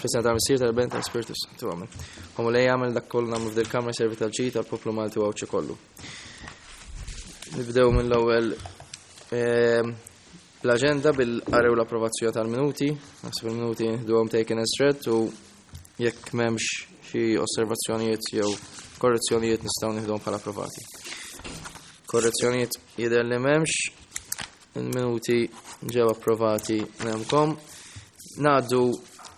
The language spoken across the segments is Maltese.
F'isem tal-Missier, tal-Iben, tal-Ispirtu Santu. Amen. O Mulej jagħmel dak kollu nagħmlu f'dil-kamra servi tal-ġid tal-poplu Malti u Għawdxi kollu. Nibdew mill-ewwel ehm, l-aġenda bil-qari u l-approvazzjoni tal-minuti. Naħseb il-minuti nħduhom taken as read u jekk m'hemmx xi osservazzjonijiet jew korrezzjonijiet nistgħu nieħduhom bħala approvati. Korrezzjonijiet jidher li m'hemmx, Il-minuti ġew approvati nemkom. Ngħaddu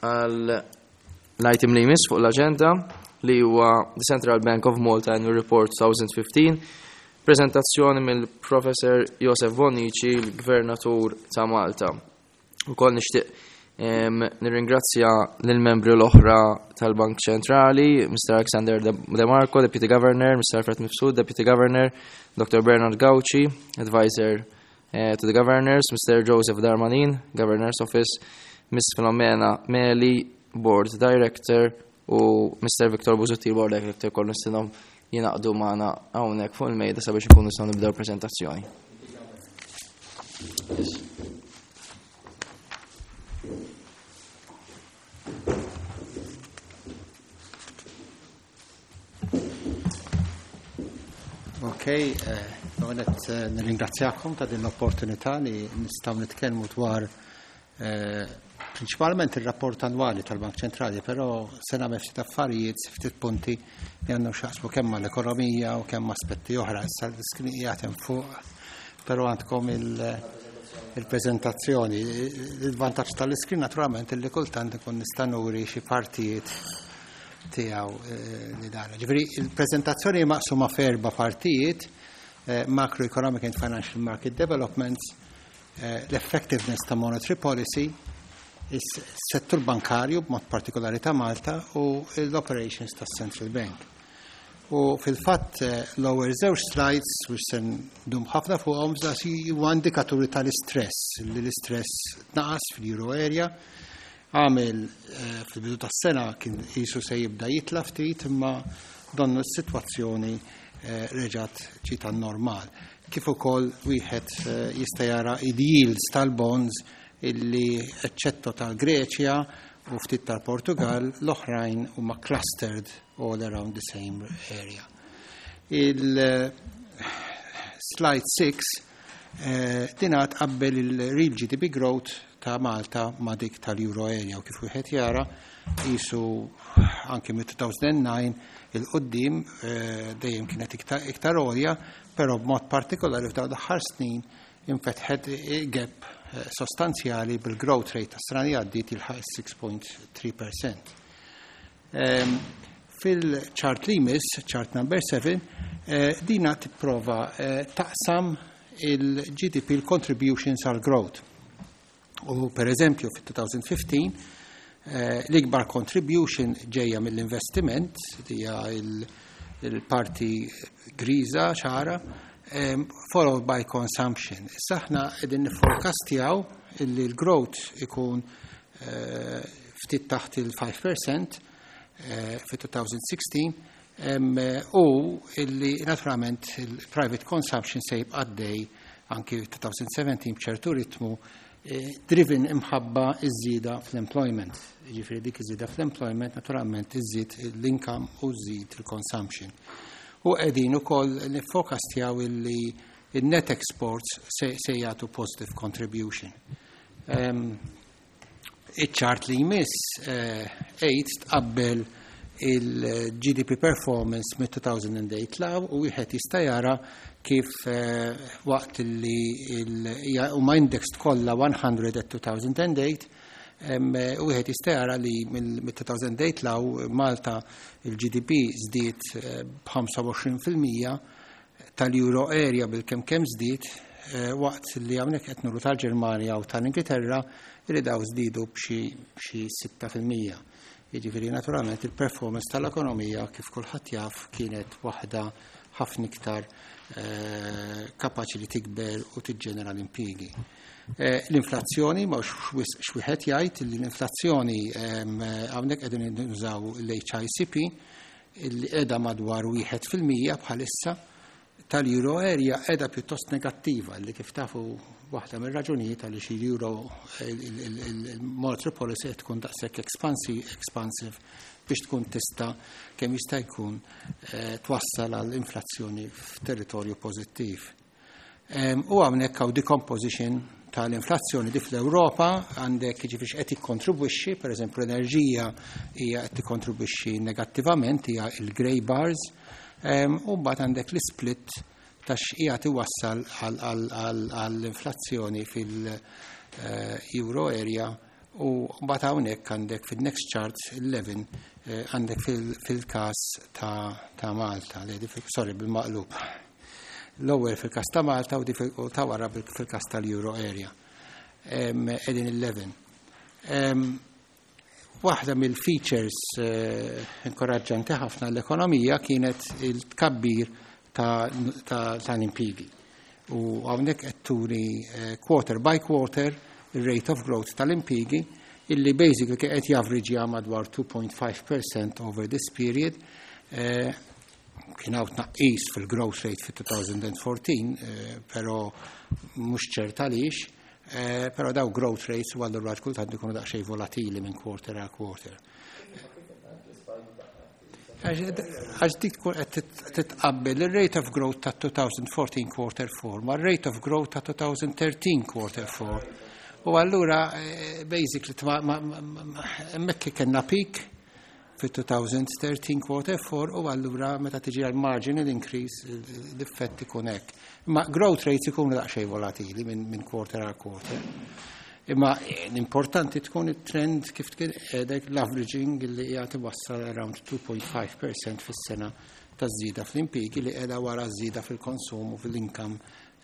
għal l-item li jmiss fuq l-aġenda li huwa the Central Bank of Malta Annual Report 2015, prezentazzjoni mill-Professor Josef Bonnici, l-Gvernatur ta' Malta. Ukoll nixtieq nirringrazzja lill-membri l-oħra tal-Bank Ċentrali, Mr. Alexander De Marco, Deputy Governor, Mr. Alfred Mifsud, Deputy Governor, Dr. Bernard Gauci, Advisor eh, to the Governors, Mr. Joseph Darmanin, Governor's Office, Ms. Filomena Meli, Board Director, u Mr. Victor Busuttil, Board Director, kollu nistinom jingħaqdu magħna hawnhekk fuq il-mejda sabiex ikunu nistgħu nibdew prezentazzjoni. Yes. Ok, eh, għonet eh, nirringrazzjakom ta' din l-opportunità li nistaw nitkellmu dwar eh, prinċipalment il-rapport annwali tal-Bank Ċentrali, però se nagħmel ftit affarijiet, ftit punti li għandhom x'jaqsmu kemm mal-ekonomija u kemm aspetti oħra. Issa l-iskrin qiegħed hemm fuq, però għandkom il-preżentazzjoni. Il-vantaġġ tal-iskrin naturalment li kultant ikun nista' nuri xi partijiet tiegħu eh, li dan. Ġifieri il-preżentazzjoni maqsuma f'erba' partijiet, eh, macroeconomic and financial market developments, eh, l-effectiveness ta' monetary policy, is-settur bankarju b'mod partikolari ta' Malta u l-operations tas Central Bank. U fil-fatt eh, l-ewwel żewġ slides biex se ndum ħafna fuqhom huwa indikaturi tal-istress li l-istress naqas fil-euro area għamel eh, fil-bidu tas-sena kien qisu se jibda jitla ftit imma donnu s-sitwazzjoni eh, reġgħet ġiet normal. Kif ukoll wieħed eh, jista' jara il-yields tal-bonds illi eċċetto tal-Greċja u ftit tal-Portugal l-oħrajn huma clustered all around the same area. Il-slide 6 eh, din tqabbel il-real GDP growth ta' Malta ma' dik tal-Euro area u kif wieħed jara qisu anki mit-2009 il-qoddim eh, dejjem kienet iktar għolja, però b'mod partikolari f'dawn l-aħħar snin infetħet gap eh, sostanzjali bil-growth rate ta' sena li għaddiet jilħaq 6.3%. Ehm, fil-chart li jmiss, chart number 7, eh, dina tipprova taqsam il-GDP, il-contributions għal growth. U per eżempju, fit-2015, eh, l-ikbar contribution ġejja mill-investiment, hija il-parti griża ċara, followed by consumption. Issa aħna qegħdin niforecastjaw illi l-growth ikun eh, ftit taħt il-5% eh, fit-2016 u illi naturalment il-private consumption se jibqa' għaddej anki 2017 b'ċertu ritmu eh, driven imħabba iż-żieda fl-employment. Ġifieri dik iż-żieda fl-employment naturalment iżid l-income u żżid il-consumption. U qegħdin ukoll nifforecastjaw illi il-net exports se, se jagħtu positive contribution. Um, Iċ-chart li jmiss 8 tqabbel il-GDP performance mit-2008 law u wieħed jista' jara kif eh, waqt li huma indexed kollha 100 at 2008 wieħed jista' jara li mill-2008 law Malta il-GDP żdied eh, b'25% tal-Euro area bil-kemm kemm żdied eh, waqt li hawnhekk qed nuru tal-Ġermanja u tal-Ingilterra li daw żdiedu b'xi 6%. Jiġifieri naturalment il-performance tal-ekonomija kif kulħadd jaf kienet waħda ħafna iktar eh, kapaċi li tikber u tiġġenera l-impjiegi. Eh, l-inflazzjoni, ma xwieħed jgħid li l-inflazzjoni ehm, hawnhekk qegħdin nużaw l-HICP illi qiegħda madwar 1% bħalissa tal-euro area qiegħda pjuttost negattiva li kif tafu waħda mir-raġunijiet għaliex il-euro il-monetary policy qed tkun daqshekk expansive biex tkun tista' kemm jista' jkun twassal għal inflazzjoni f'territorju pożittiv. U hawnhekk hawn decomposition tal-inflazzjoni di fl-Ewropa, għandek jiġifieri x'qed jikkontribwixxi, pereżempju l-enerġija hija qed tikkontribwixxi negattivament, hija il-grey bars, u mbagħad għandek l-split ta' x'qiegħed iwassal għall-inflazzjoni fil-euro area, u mbagħad hawnhekk għandek fil-next chart 11 għandek fil-każ ta' Malta, sorry, bil-maqlub. L-ewwel fil-każ ta' Malta u ta' wara fil-każ tal-euro area. Qegħdin 11. Waħda mill-features inkoraġġanti ħafna l-ekonomija kienet il-tkabbir tal-impjiegi. U hawnhekk qed turi quarter by quarter il-rate of growth tal-impjiegi illi basically qed javriġja madwar 2.5% over this period. Kien hawn tnaqqis fil-growth rate fit-2014, però mhux ċert għaliex, però daw growth rates u allura kultant ikunu daqsxejn volatili minn quarter għal quarter. Għax dik tkun qed titqabbel il-rate of growth ta' 2014 quarter 4 ma' rate of growth ta' 2013 quarter 4. U allura basically hemmhekk kellna peak fi 2013 quarter 4, u allura meta tiġi għal marginal increase l-effett ikun hekk. Imma growth rates ikunu daqsxejn volatili minn quarter għal quarter. Imma l-importanti tkun it-trend kif tkun qiegħdek l-averaging li qiegħed iwassal around 2.5% fis-sena ta' żieda fl-impjiegi li qiegħda wara żieda fil-konsum u fil-income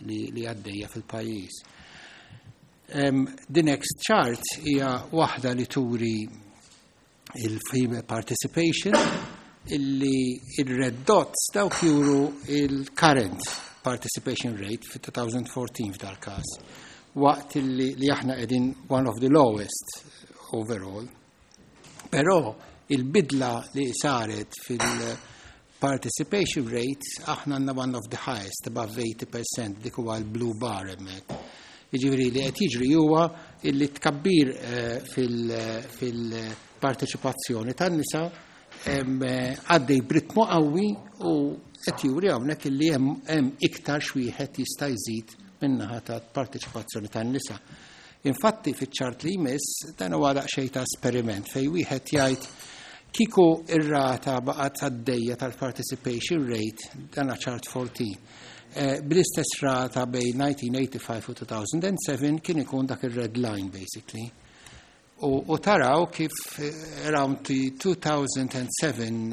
li għaddejja fil-pajjiż. The next chart hija waħda li turi il-female participation, illi il-red dots dawk juru il-current participation rate fi 2014 f'dal każ, waqt illi li aħna qegħdin one of the lowest overall. Però il-bidla li saret fil-participation rate aħna għandna one of the highest, above 80%, dik huwa l-blue bar hemmhekk. Jiġifieri li qed jiġri huwa illi tkabbir fil-parteċipazzjoni tan-nisa għaddej b'ritmu qawwi u qed juri hawnhekk illi hemm iktar x'wieħed jista' jżid min-naħa ta' parteċipazzjoni tan-nisa. Infatti fiċ-ċart li jmiss dan huwa daqsxejn ta' esperiment fejn wieħed jgħid kieku ir-rata baqgħet għaddejja tal-participation rate, dan ċart 14, bl-istess rata bejn 1985 u 2007 kien ikun dak ir-red line basically. U taraw kif around the 2007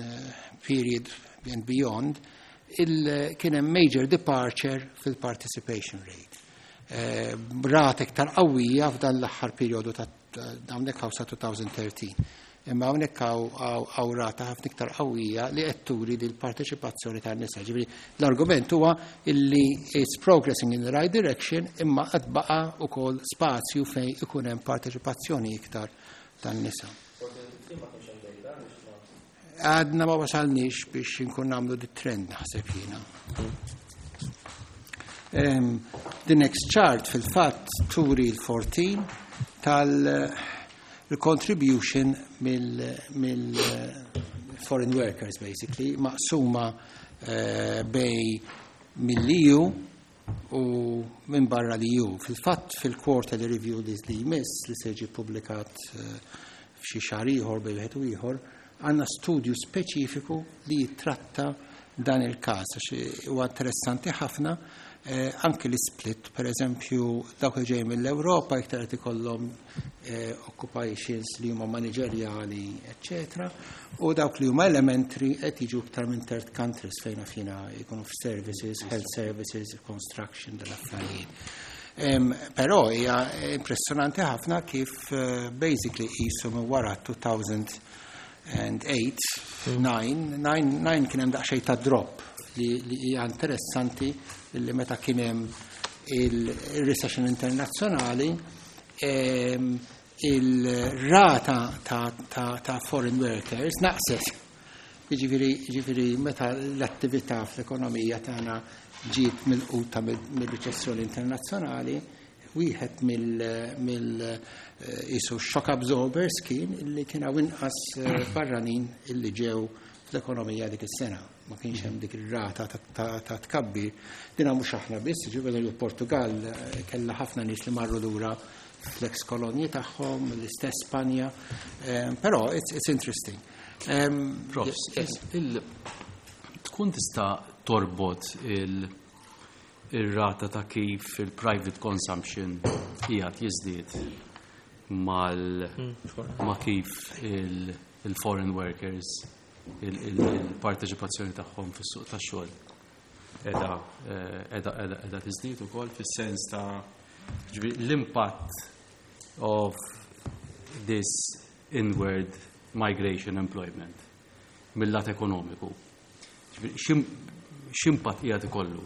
period and beyond kien hemm major departure fil-participation rate. Rata iktar qawwija f'dan l-aħħar perjodu ta' hawnhekk hawn sa 2013. Imma hawnhekk hawn rata ħafna iktar qawwija li qed turi li l-parteċipazzjoni tan-nisa. Ġifieri l-argument huwa illi it's progressing in the right direction, imma qed baqa' ukoll spazju fejn ikun hemm parteċipazzjoni iktar tan-nisa. Għadna ma wasalniex biex inkun nagħmlu di trend naħseb jiena. The next chart fil-fatt turi l-14 tal-contribution mill-foreign workers basically, maqsuma bej mill-EU u minn barra l-EU. Fil-fatt fil-quarterly review li jmiss li se jiġi ppubblikat f'xi xahar ieħor bejn wieħed u ieħor, għandna studju speċifiku li jitratta dan il-każ, għax huwa interessanti ħafna anki l-split, per eżempju, dawk li ġej mill-Ewropa iktar qed ikollhom occupations li huma manageriali, eccetera, u dawk li huma elementary qed jiġu iktar minn third countries fejn fina jkunu f'services, health services, construction, dal-affarijiet. Però hija impressjonanti ħafna kif basically qisu minn wara 2008, 9 kien hemm daqsxejn ta' drop li hija interessanti li meta kien hemm il-recession internazzjonali, il-rata ta' foreign workers naqset. Jiġifieri meta l-attività fl-ekonomija tagħna ġiet milquta mill-riċessjoni internazzjonali, Wieħed mill qisu shock absorbers kien illi kien hawn inqas barranin illi ġew fl-ekonomija dik is-sena. Ma kienx hemm dik ir-rata ta' tkabbir. Dina mhux aħna biss, ġifieri l-Portugal kellha ħafna nies li marru lura fl-ex kolonji tagħhom, l-istess Spanja. Però it's interesting. Prof, tkun tista' torbot il-rata ta' kif il-private consumption qiegħed jiżdied mal ma' kif il-foreign workers il-parteċipazzjoni tagħhom fis-suq tax-xogħol qiegħda qiegħda qiegħda tiżdied ukoll fis-sens ta' l-impatt of this inward migration employment mill-lat ekonomiku. X'impatt qiegħed ikollu?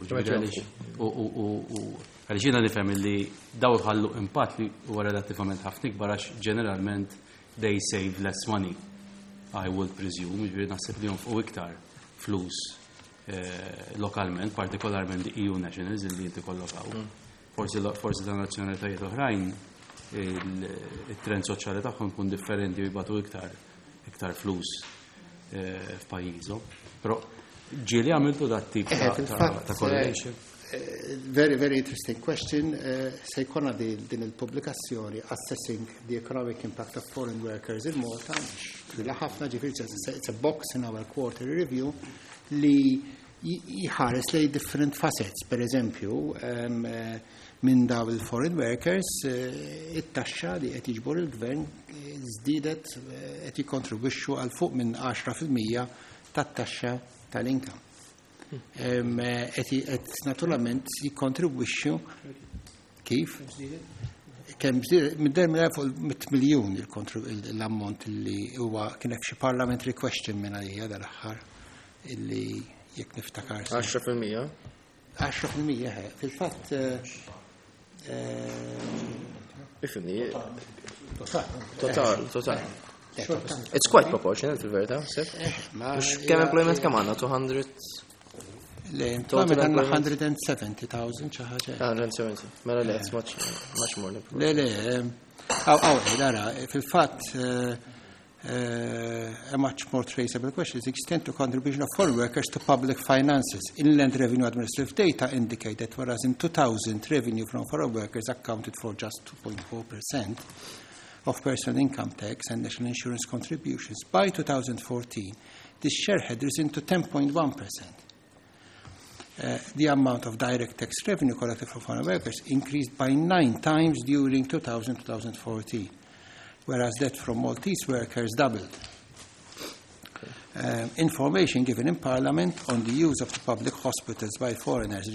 Għaliex jiena nifhem li daw iħallu impatt li huwa relattivament ħafna ikbar għax ġeneralment they save less money. I would presume, ġifieri naħseb li jonfqu iktar flus lokalment, partikolarment the EU nationals li inti kollokaw. Forsi ta' nazzjonalitajiet oħrajn il-trend soċjali tagħhom ikun differenti u jibagħtu iktar iktar flus f'pajjiżhom. Però ġieli għamiltu dat tip ta' correlation? Very, very interesting question. Se jkollna din il-pubblikazzjoni Assessing the Economic Impact of Foreign Workers in Malta, twila ħafna, ġifieri it's a box in our quarterly review li jħares lej different facets. Per eżempju, minn daw il-foreign workers, it-taxxa li qed jiġbor il-gvern żdiedet, qed jikkontribwixxu għal fuq minn 10% tat-taxxa tal-income. Qed naturalment jikkontribwixxu kif? Kemm żdiedet, mid-der minn fuq 100 miljun l-ammont li huwa kien hekk xi parliamentary question minn għalija dal-aħħar illi jekk niftakar. 10%? 10%, fil-fatt. Ifhimni. Total, total. It's quite proportional fil-verità, sef? Mhux kemm employment kemm għandna? 200? Le, employment għandna 170,000 xi ħaġa. 170. Mela le, it's much, much more than Le, le, aw, dara, fil-fatt, a much more traceable question is the extent to contribution of foreign workers to public finances. Inland Revenue Administrative data indicate that whereas in 2000 revenue from foreign workers accounted for just 2.4% of personal income tax and national insurance contributions, by 2014 this share had risen to 10.1%. The amount of direct tax revenue collected from foreign workers increased by 9 times during 2000-2014, whereas that from Maltese workers doubled. Information given in Parliament on the use of the public hospitals by foreigners,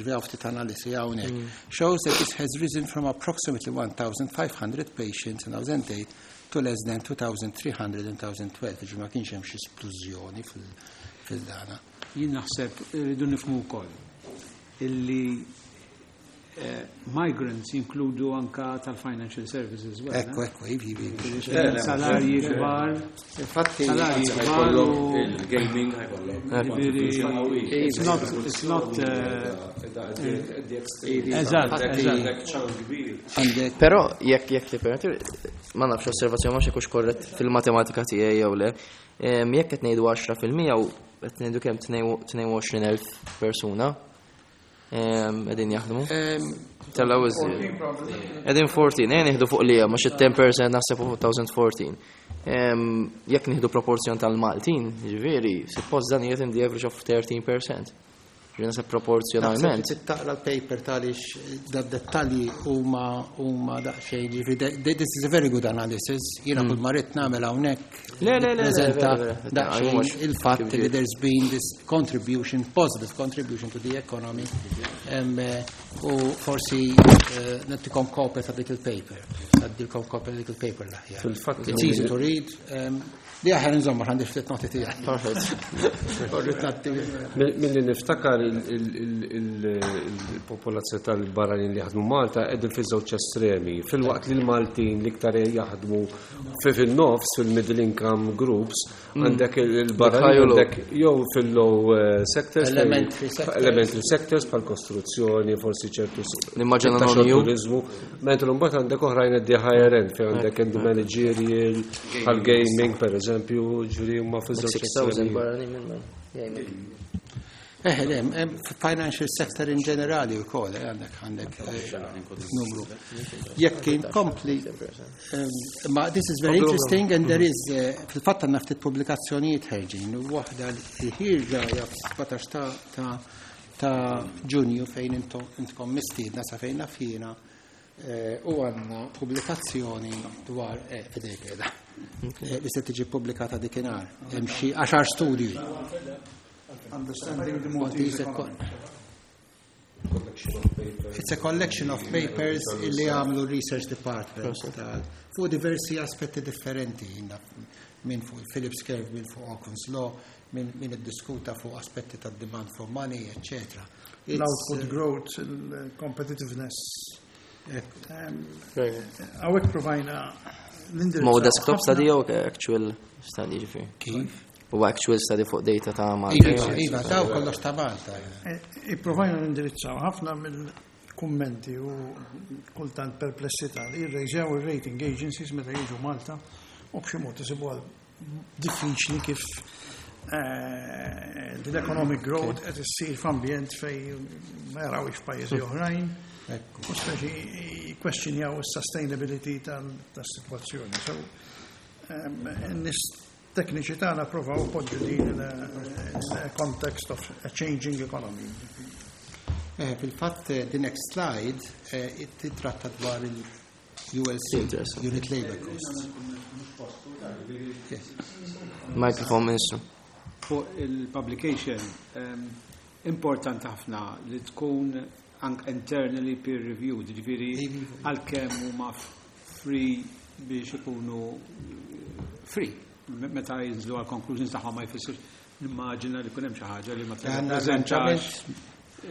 shows that this has risen from approximately 1,500 patients in 2008 to less than 2,300 in 2012. Ġi ma kienx hemm xi splużjoni fil-dana. Jien naħseb rridu nifhmu wkoll illi migrants jinkludu anka tal-financial services. Ekku, ekku, ivi, ivi. Salarji kbar. Infatti, salarji kbar. Il-gaming ħajkollok. It's not, it's not, eżatt, eżatt. Però jekk li permetti, ma nafx osservazzjoni ma xekux korrett fil-matematika tiegħi jew le. Jekk qed ngħidu 10% u qed ngħidu kemm 22,000 persuna qegħdin jaħdmu. Tella iżjed. Qegħdin 14, nieħdu fuq li hemm, għax it-10% naħseb fuq 2014. Jekk nieħdu proporzjon tal-Maltin, ġifieri, suppost dan qiegħed in the average of 13%. Ġifieri naħseb proporzjonalment. Naħseb taqra l-paper talix da dettalji huma daqsxejn, ġifieri this is a very good analysis. Jiena kull ma rrid nagħmel hawnhekk Le, le, le, le, preżenta vera, vera. daqsxejn Mhux il-fatt kif li ġiet. there's been this contribution, positive contribution to the economy. U forsi nagħtikom kopja ta' dik il-paper. Għaddilkom kopja ta' dik il-paper l-aħjar. Fil-fatt It's easy to read. Li aħjar nżomma għandi ftit noti tiegħi. Perfect. Orrit nagħti. Milli niftakar Il-popolazzjoni tal-barranin li jaħdmu Malta qegħdin fi żewġ estremi. Filwaqt li l-Maltin l-iktar jaħdmu fil-nofs, fil-middle income groups, għandek il-barranin għandek jew fil-low sectors, Elementary sectors. Elementary sectors bħal kostruzzjoni, forsi ċertu Nimmaġina ta' non EU. turizmu, mentre mbagħad għandek oħrajn the higher end fejn għandek in the managerial, bħal gaming per eżempju, ġifieri huma fi żewġ 6,000 estremi. barranin minn gaming. Le, financial sector in ġenerali u kol, għandek numru. Jekk inkompli, ma this is very interesting and there is, fil-fatt għandna ftit pubblikazzjonijiet ħerġin, u waħda li ħierġa hija 17 ta' Ġunju fejn intkom mistiedna sa fejn naf jiena, u għandna pubblikazzjoni dwar fidejk qiegħda, li se tiġi pubblikata dikinhar. Hemm xi 10 studji. Understanding the Maltese Maltese economy. economy. It's a collection of papers illi għamlu Research Department fuq diversi aspetti differenti, minn fuq il-Phillips Curve, minn fuq Okun's Law, minn iddiskuta fuq aspetti ta' demand for money, etc. L-output growth, il-competitiveness. Ekku. Hawnhekk provajna l-indirizzaw Ma hu desktop ħafna- study jew actual study ġifieri? Kif? U actual study fuq data ta' Malta. Iva, daw kollox ta' Malta. Ipprovajna nindirizzaw ħafna mill-kummenti u kultant perplessità li jirrejżew il-rating agencies meta jiġu Malta u b'xi mod isibu diffiċli kif l-economic growth qed issir f'ambjent fejn ma jarawx f'pajjiżi oħrajn. Ekku. U speċi jikkwestjonjaw is-sustainability tas-sitwazzjoni. So, n-nies tekniċi tagħna provaw poġġu din in a context of a changing economy. Fil-fatt, the next slide titratta dwar il-ULC, Interesting. Unit Labor Costs. Yes. Microphone, Ministru. Fuq il-publication, importanti ħafna li tkun ank internally peer reviewed, ġifieri għalkemm huma free biex ikunu free. Meta jinżlu għal conclusions tagħhom ma jfissirx nimmaġina li kun hemm xi ħaġa li ma Għandna tirrappreżentax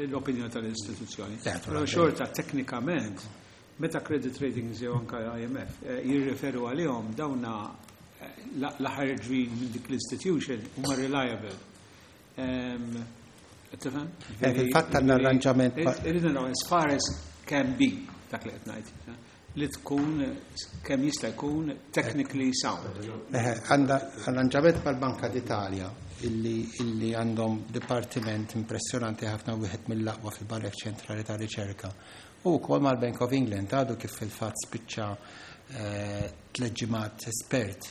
l-opinjoni tal-istituzzjoni. Le, Però naturalment. xorta teknikament, meta credit ratings jew anka IMF jirreferu għalihom dawna l-ħarġin minn dik l-institution huma reliable. Tifhem? Fil-fatt għandna arranġament Irridu naraw as far as can be dak li qed ngħid. Li tkun kemm jista' jkun technically sound. Għandha arranġament mal-Banka d'Italja illi għandhom dipartiment impressjonanti ħafna, wieħed mill-aqwa fil-Banek Ċentrali ta' Riċerka. U wkoll mal-Bank of England għadu kif fil-fatt spiċċa 3 ġimgħat espert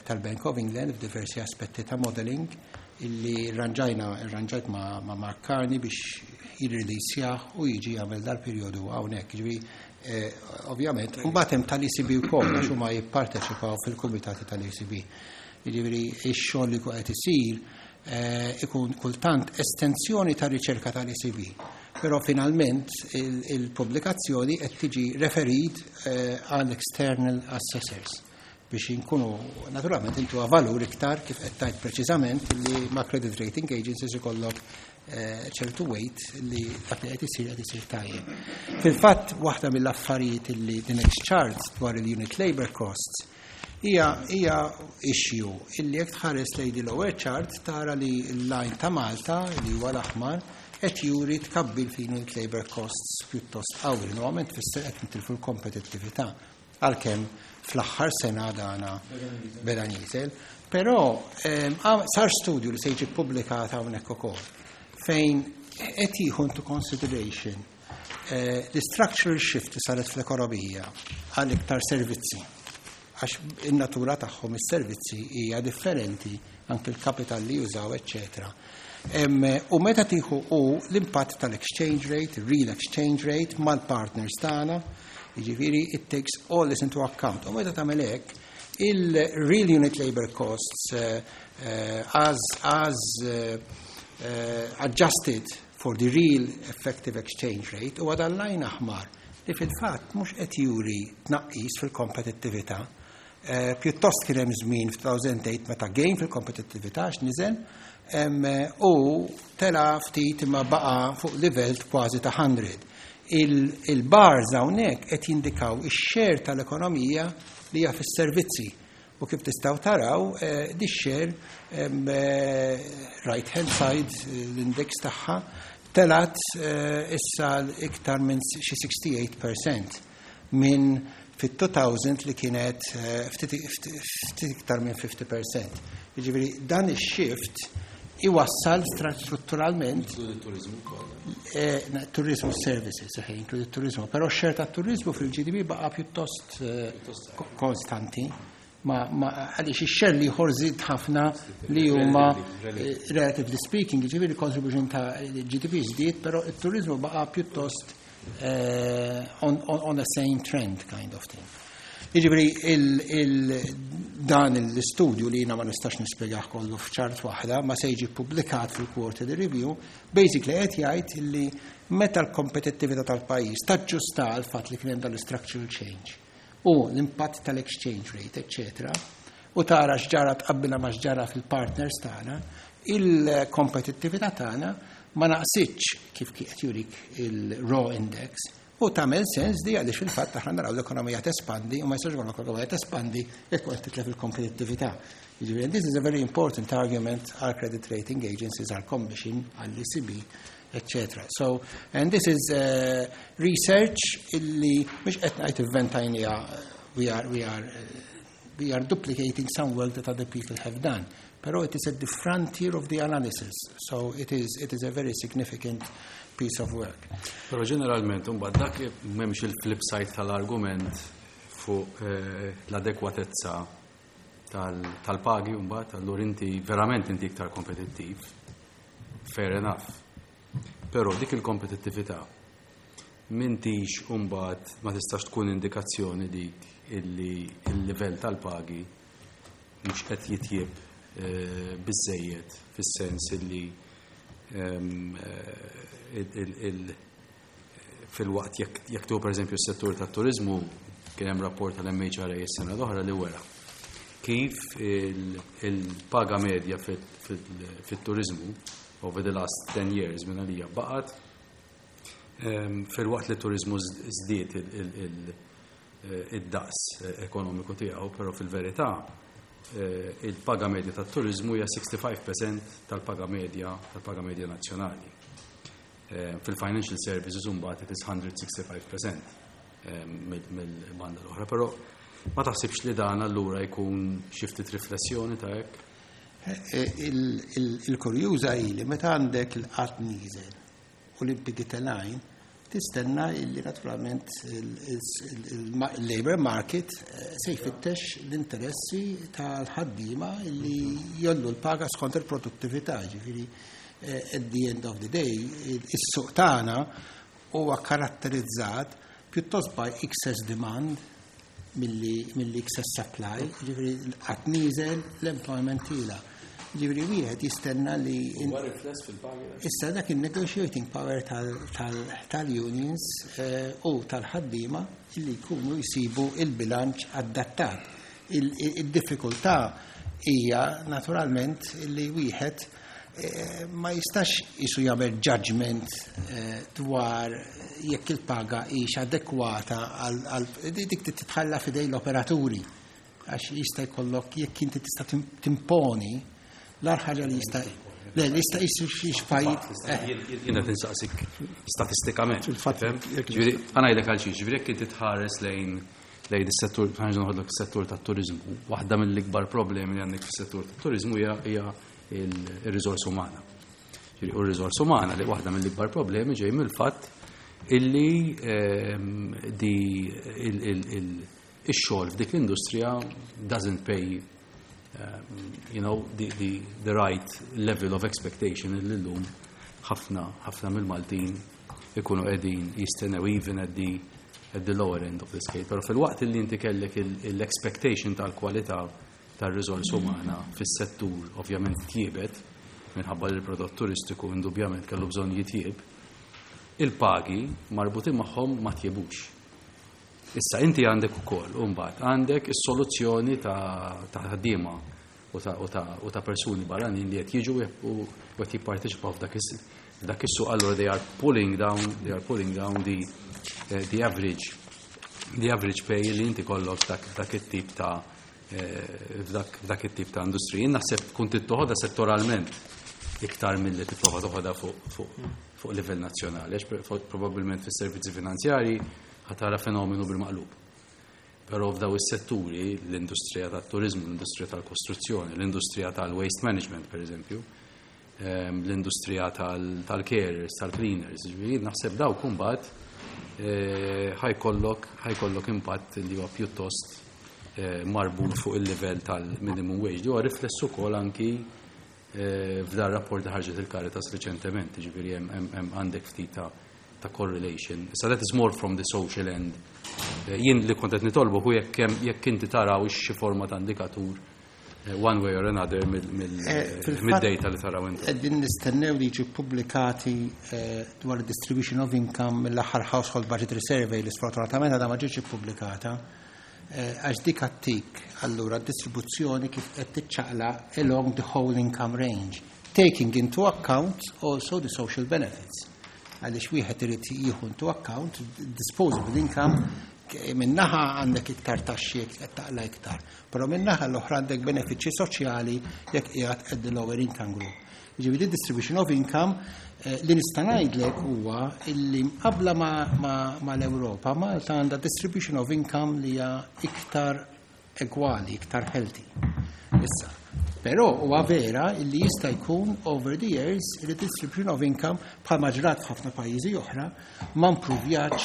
tal-Bank of England f'diversi aspetti ta' modeling illi rranġajt ma' Mark Carney biex jirrilisjah u jiġi jagħmel dal-perjodu hawnhekk. Ġifieri, ovvjament, mbagħad hemm tal-ECB wkoll għax huma jipparteċipaw fil-kumitati tal-ECB. Jiġifieri ix-xogħol li qed isir ikun kultant estensjoni ta' riċerka tal-ECB. Però finalment il-pubblikazzjoni qed tiġi referit għal external assessors biex inkunu naturalment intu valur iktar kif qed tgħid preċiżament li ma' credit rating agencies ikollok ċertu weight li dak li qed isir tajjeb. Fil-fatt waħda mill-affarijiet li the next chart dwar il-unit labor costs hija issue illi jekk tħares lejn the lower chart tara li l-line ta' Malta li huwa l-aħmar qed juri tkabbir fi unit labor costs pjuttost qawwi. Normalment tfisser qed nitilfu l-kompetittività għalkemm fl-aħħar sena dana beda nieżel. Però sar studju li se jiġi ppubblikat hawnhekk ukoll fejn qed jieħu into consideration the structural shift li saret fl-ekonomija għal iktar servizzi. Għax in-natura tagħhom is-servizzi hija differenti anke l-kapital li jużaw, eccetera. U meta tieħu u l-impatt tal-exchange rate, real exchange rate mal-partners tagħna, jiġifieri it takes all this into account. U meta tagħmel hekk, il-real unit labor costs as adjusted for the real effective exchange rate u għada l-line aħmar li fil-fatt mhux qed juri tnaqqis fil-kompetittività. Pjuttost kien hemm żmien f'2008 meta gain fil-kompetittività għax niżel u tela ftit imma baqa' fuq livell kważi ta' 100. Il-bars hawnhekk qed jindikaw ix-share tal-ekonomija li hija fis-servizzi u kif tistgħu taraw di share, right hand side, l-index tagħha telat issa iktar minn xi 68% minn fit-2000 li kienet ftit iktar minn 50%. Jiġifieri dan ix-shift iwassal strutturalment turizmu services, inkludi turizmu, però x-share tat-turizmu fil-GDP baqa' pjuttost konstanti. Ma għaliex ix-share l-ieħor żied ħafna li huma, relatively speaking, jiġifieri contribution ta' GDP żdied, però it-turizmu baqa' pjuttost on the same trend kind of thing. Jiġifieri dan l-istudju li jiena ma nistax nispjegah kollu f'chart waħda, ma se jiġi publikat fil-quarterly review, basically qed jgħid li meta l-kompetittività tal-pajjiż taġġusta għal fatt li kien hemm dan l-structural change u l-impatt tal-exchange rate, etc., u tara x'ġara, tqabbilha ma x'ġara fil-partners tagħna, il-kompetittività tagħna ma naqsitx kif qed jurik il-raw index. U tagħmel sens di għaliex fil-fatt aħna naraw l-ekonomija tespandi u ma jistax jkollok l-ekonomija tespandi jekk qed titlef il-kompetittività. Jiġifieri this is a very important argument għal credit rating agencies, għal commission, għall ECB, etc. So, and this is research illi mhux qed ngħid ivventajnieha, we are duplicating some work that other people have done. Però it is at the frontier of the analysis, so it is a very significant piece of work. Però ġeneralment, mbagħad dak m'hemmx il-flip side tal-argument fuq l-adekwatezza tal-pagi mbagħad, allura inti verament inti iktar kompetittiv. Fair enough. Però dik il-kompetittività m'intix mbagħad ma tistax tkun indikazzjoni dik illi il-livell tal-pagi mhux qed jitjieb biżejjed fis-sens illi fil-waqt jekk tu pereżempju s-settur tat-turizmu, kien hemm rapport tal-MHRA s-sena l-oħra li wera kif il-paga medja fit-turizmu over the last 10 years minn għalija baqgħet fil-waqt li t-turizmu żdied id-daqs ekonomiku tiegħu, però fil-verità il-paga medja tat-turizmu hija 65% tal-paga medja nazzjonali. Fil-financial services mbagħad it is 165% mill-banda l-oħra, però ma taħsibx li dan allura jkun xi ftit riflessjoni ta' hekk? Il-kurjuża hi li meta għandek il-qgħad nieżel u l-impjiegi telgħin, tistenna illi naturalment il-labor market se jfittex l-interessi tal-ħaddiema illi jgħollu l-paga skont il-produttività, ġifieri at the end of the day, is-suq tagħna huwa karatterizzat pjuttost by excess demand milli excess supply, ġifieri l-qgħad nieżel, l-employment tiela'. Ġifieri wieħed jistenna li Huwa rifless fil-pagi? Issa dak il-negotiating power tal-unions u tal-ħaddiema illi jkunu jsibu il-bilanċ adattat. Il-diffikultà hija naturalment illi wieħed ma jistax jisu jagħmel judgment dwar jekk il-paga hix adekwata għal dik titħalla f'idejn l-operaturi, għax jista' jkollok jekk inti tista' timponi l-agħar ħaġa li jista' le li jista' jisu xi pajjiż. Jiena tinsaqsik statistikament. Fil-fatt, Fhem? Ġifieri, ħa ngħidlek għal xiex, ġifieri jekk inti tħares lejn is-settur, ħa noħodlok is-settur tat-turizmu, waħda mill-ikbar problemi li għandek fis-settur tat-turizmu hija il-riżorsa umana. Ġifieri, u r-riżorsa umana li waħda mill-ikbar problemi ġej mill-fatt illi di ix-xogħol f'dik l-industrija doesn't pay the right level of expectation illi llum ħafna ħafna mill-Maltin ikunu qegħdin jistennew even at the lower end of the scale. Però fil-waqt li inti kellek l-expectation tal-kwalità tar-riżorsa umana fis-settur ovvjament tjiebet minħabba li l-prodott turistiku indubjament kellu bżonn jitjieb, il-pagi marbutin magħhom ma tjibux. Issa inti għandek ukoll, u mbagħad għandek is-soluzzjoni ta' ħaddiema u ta' persuni barranin li qed jiġu u qed jipparteċipaw f'dak is-suq, allura they are pulling down the average pay li inti kollok dak it-tip ta' f'dak it-tip ta' industriji. Jien naħseb tkun tittoħodha settoralment iktar milli tipprova toħodha fuq livell nazzjonali, għax probabbilment fis-servizzi finanzjari ħa tara fenomenu bil-maqlub. Però f'daw is-setturi, l-industrija tat-turizmu, l-industrija tal-kostruzzjoni, l-industrija tal-waste management, per eżempju, l-industrija tal-carers, tal-cleaners, ġifieri naħseb daw kumbat ħa jkollok impatt li huwa pjuttost marbut fuq il-livell tal-minimum wage. Li huwa riflessu ukoll anki f'dar rapport li ħarġet il-Caritas reċentement, ġifieri hemm għandek ftit ta' correlation. So that is more from the social end. Jien li kont qed nitolbu hu jekk inti taraw xi forma ta' indikatur one way or another mid-data li taraw inti. Qegħdin nistennew li jiġu pubblikati dwar distribution of income mill-aħħar Household Budgetary Survey li sfortunatament għadha ma ġietx ippubblikata. Għax dik għattik allura distribuzzjoni kif qed tiċċaqla along the whole income range, taking into account also the social benefits. Għaliex wieħed irid jieħu into account disposable income, minnaħa għandek iktar taxxi jekk qed taqla iktar, però minnaħa l-oħra għandek benefiċċji soċjali jekk qiegħed at the lower income group. Ġifieri distribution of income li nista' ngħidlek huwa illi mqabbla ma l-Ewropa, Malta għandha distribution of income li hija iktar egwali, iktar healthy. Issa, però huwa vera illi jista' jkun over the years li distribution of income, bħalma ġrat f'ħafna pajjiżi oħra, ma mpruvjatx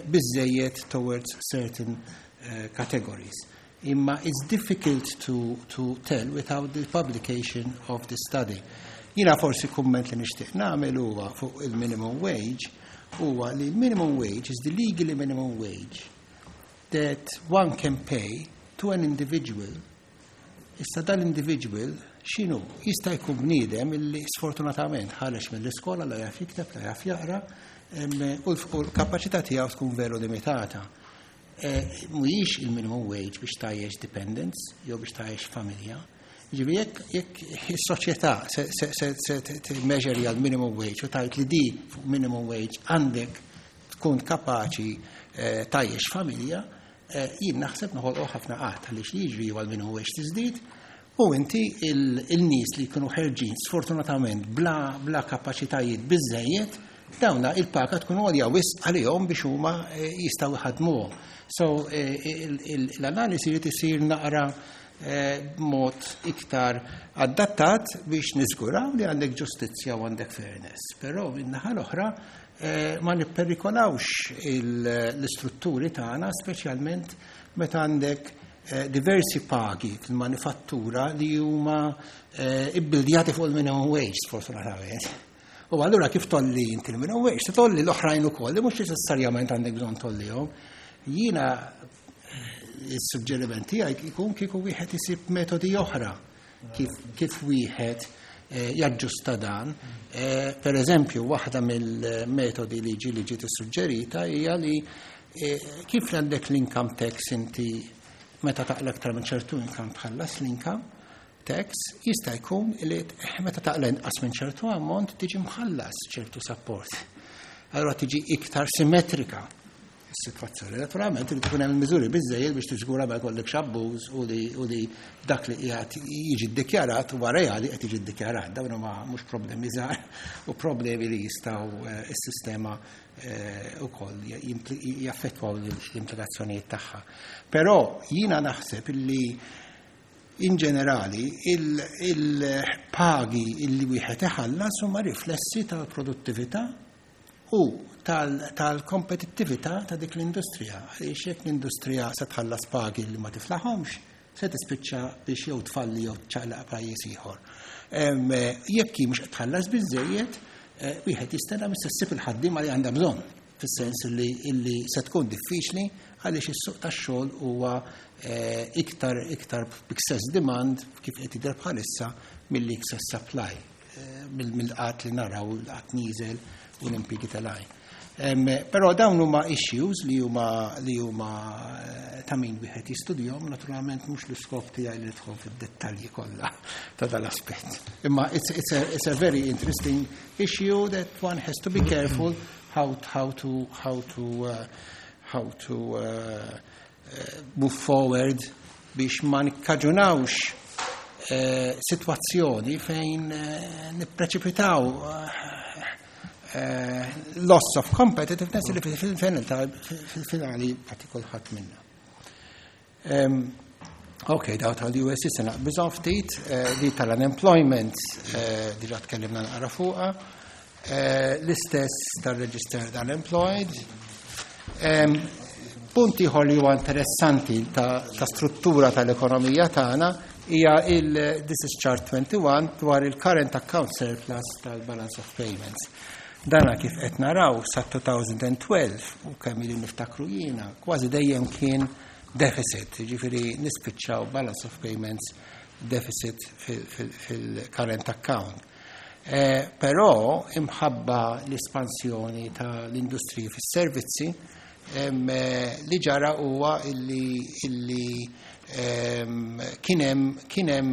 biżejjed towards certain categories. Imma it's difficult to tell without the publication of the study. Jina forsi kumment li nixtieq nagħmel huwa fuq il-minimum wage, huwa li l-minimum wage is the legally minimum wage that one can pay to an individual. Issa dal-individual x'inhu? Jista' jkun bniedem illi sfortunatament ħareġ mill-iskola, la jaf jikteb, la jaf jaqra, u l-kapaċità tiegħu tkun veru limitata. Mhuwiex il-minimum wage biex tgħajjex dependents jew biex tgħajjex familja. Ġifieri jekk is-soċjetà se timmeasure għal minimum wage u tgħid li di fuq minimum wage għandek tkun kapaċi tgħajjex familja, jien naħseb noħolqu ħafna qgħad, għaliex li jiġri huwa l-minimum wage tiżdied u inti il-nies li jkunu ħerġin sfortunatament bla kapaċitajiet biżejjed, dawna il-paga tkun għolja wisq għalihom biex huma jistgħu jħadmuhom. So l-analisi li tisir naqra b'mod iktar adattat biex niżguraw li għandek ġustizzja u għandek fairness. Però min-naħa l-oħra ma nipperikolawx l-istrutturi tagħna, speċjalment meta għandek diversi pagi fil-manifattura li huma ibbildjati fuq il-minimum wage, sfortunatament. U allura kif tgħolli inti il-minimum wage, se tgħolli l-oħrajn ukoll li mhux neċessarjament għandek bżonn tgħollihom. Jiena il-suġġeriment tiegħi jkun kieku wieħed isib metodi oħra kif wieħed jaġġusta dan. Per eżempju, waħda mill-metodi li ġiet issuġġerita hija li kif għandek l-income tax, inti meta taqla aktar minn ċertu income tħallas l-income tax, jista' jkun li meta taqla inqas minn ċertu ammont tiġi mħallas ċertu support. Allora tiġi iktar simmetrika is-sitwazzjoni. Naturalment li tkun hemm miżuri biżejjed biex tiżgura ma jkollekx abbuż u li dak li qiegħed jiġi ddikjarat huwa reali qed jiġi ddikjarat. Dawn huma mhux problemi żgħar u problemi li jistgħu is-sistema ukoll jaffettwaw l-implikazzjonijiet tagħha. Però jiena naħseb illi in ġenerali il-pagi illi wieħed iħallas huma riflessi tal-produttività u tal-kompetittività ta' dik l-industrija. Għaliex jekk l-industrija se tħallas pagi li ma tiflaħomx, se tispiċċa biex jew tfalli jew ċaqlaq pajjiż ieħor. Jekk hi mhux qed tħallas biżejjed, wieħed jistenna mis ssib il-ħaddiema li għandha bżonn, fis-sens li se tkun diffiċli għaliex is-suq tax-xogħol huwa iktar excess demand kif qed jidher bħalissa milli excess supply, mill-qgħad li naraw, l-qgħad nieżel u l-impjiegi telgħin. Però dawn huma issues li huma ta' min wieħed jistudjahom, naturalment mhux l-iskop tiegħi li nidħol fid-dettalji kollha ta' dal-aspett. Imma it's a very interesting issue that one has to be careful how to move forward biex ma nikkaġunawx situazzjoni fejn nippreċipitaw loss of competitiveness li fil-finali għati kulħadd minna. Ok, daw tal-US se naqbiżhom ftit, li tal-unemployment diġà tkellimna naqra fuqha, l-istess tal-registered unemployed. Punt ieħor li huwa interessanti ta' struttura tal-ekonomija tagħna hija il this is chart 21 dwar il-current account surplus tal-balance of payments. Dana kif qed naraw sa 2012 u kemm ili niftakru jiena, kważi dejjem kien deficit, ġifieri nispiċċaw balance of payments deficit fil-current account. Però imħabba l-espansjoni tal-industriji fis-servizzi li ġara huwa illi kien hemm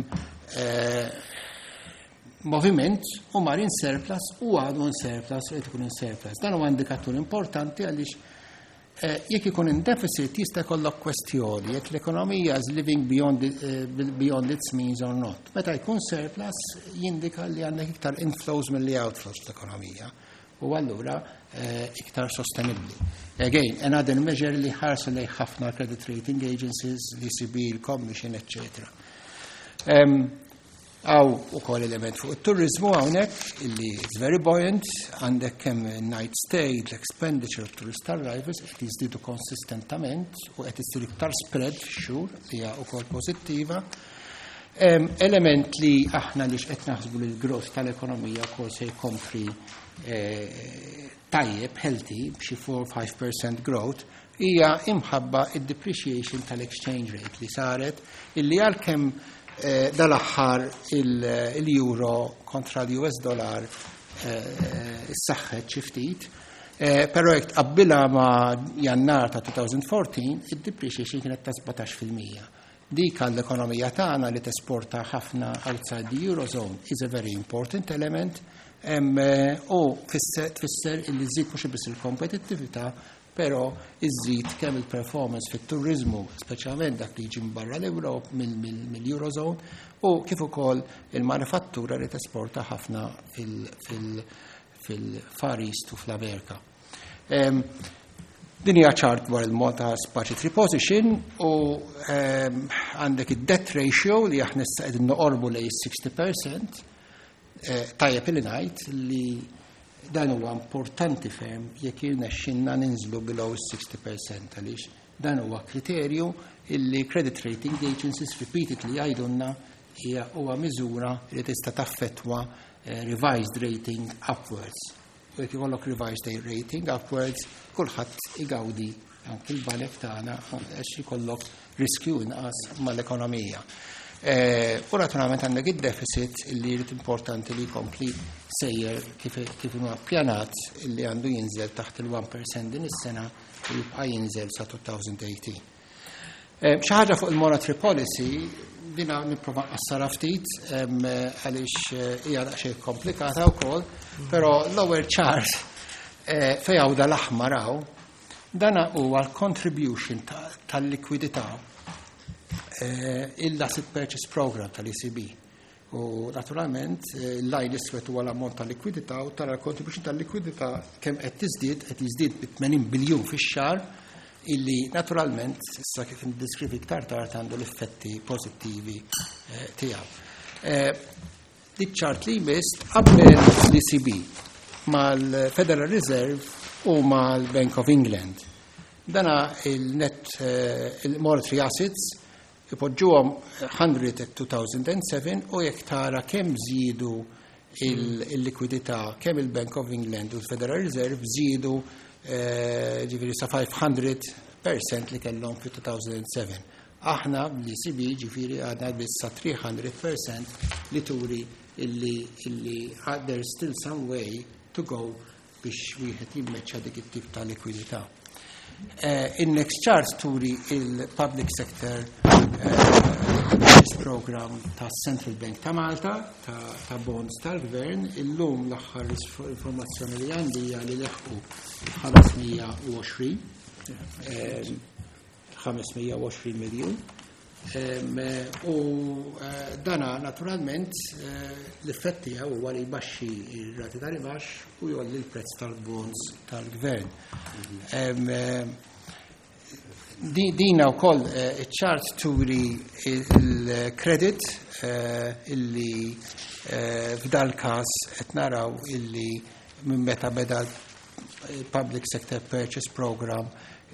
moviment u mar in surplus u għadu in surplus u qed ikun in surplus. Dan huwa indikatur importanti għaliex jekk ikun in deficit jista' jkollok kwestjoni jekk l-ekonomija is living beyond its means or not. Meta jkun surplus jindika li għandek iktar inflows milli outflows fl-ekonomija u allura iktar sostenibli. Again, another measure li ħarsu lejn ħafna credit rating agencies, l-ECB, il-Commission, etc. Hawn ukoll element fuq il-turizmu hawnhekk illi it's very buoyant, għandek kemm night stay, l-expenditure of tourist arrivals qed jiżdiedu konsistentament u qed issir iktar spread fix-xhur li hija wkoll pożittiva. Element li aħna li qed naħsbu li l-growth tal-ekonomija wkoll se jkompli tajjeb, healthy, b'xi 4-5% growth, hija imħabba id-depreciation tal-exchange rate li saret illi għalkemm dal-aħħar il-euro kontra l-US dollar issaħħet xi ftit, però jekk tqabbilha ma' Jannar ta' 2014, id-depreciation kienet ta' 17%. Dik għall-ekonomija tagħna li tesporta ħafna outside the Eurozone is a very important element u tfisser illi żżid mhux biss il-kompetittività, però iżżid kemm il-performance fit-turizmu, speċjalment dak li jiġi barra l-Ewrop mill-Eurozone, u kif ukoll il-manifattura li tesporta ħafna fil-Far East u fl-Amerika. Din hija chart dwar il-Malta budgetary position u għandek id-debt ratio li aħna issa qegħdin noqorbu lejn 60%. Tajjeb li ngħid li dan huwa importanti ferm jekk jirnexxinna ninżlu below 60% għaliex dan huwa kriterju illi credit rating agencies repeatedly jgħidulna hija huwa miżura li tista' taffettwa revised rating upwards. U jekk ikollok revised rating upwards, kulħadd igawdi, anki l-banek tagħna, għax ikollok riskju inqas mal-ekonomija. U naturalment għandek id-deficit li jrid importanti li jkompli sejjer kif huwa ppjanat illi għandu jinżel taħt il-1% din is-sena u jibqa' jinżel sa 2018. Xi ħaġa fuq il-monetary policy, dina nipprova nqassarha ftit għaliex hija daqsxejn komplikata wkoll, però l-ewwel chart fejn hawn dal-aħmar hawn, dana huwa l-contribution tal-likwidità il-Asset Purchase Program tal-ECB. U naturalment l-line iswed huwa l-ammont ta' likwidità u tara l-contribution tal-likwidità kemm qed tiżdied, qed jiżdied bi 80 biljun fix-xahar illi naturalment issa kif ndiskrivi iktar tard għandu l-effetti pożittivi tiegħu. Dik chart li jmiss qabel l-ECB mal-Federal Reserve u mal-Bank of England. Dana il-net il-monetary assets ipoġġuhom 100 at 2007 u jekk tara kemm żiedu il-likwidità kemm il-Bank of England u l-Federal Reserve żiedu ġifieri sa 500% li kellhom fi 2007. Aħna l-ECB ġifieri għadna biss sa 300% li turi illi there's still some way to go. biex wieħed jimmeċċa dik it-tip ta' likwidità. In-next chart turi il-Public Sector Purchase Program ta' Central Bank ta' Malta ta' bonds tal-gvern. Illum l-aħħar informazzjoni li għandi hija li leħqu 520 miljun. U dana naturalment l-effett tiegħu huwa li jbaxxi r-rati tal-imax u jolli l-prezz tal-bonds tal-gvern. Dina wkoll iċ-chart turi il-credit illi f'dal każ qed naraw illi minn meta beda l-Public Sector Purchase Program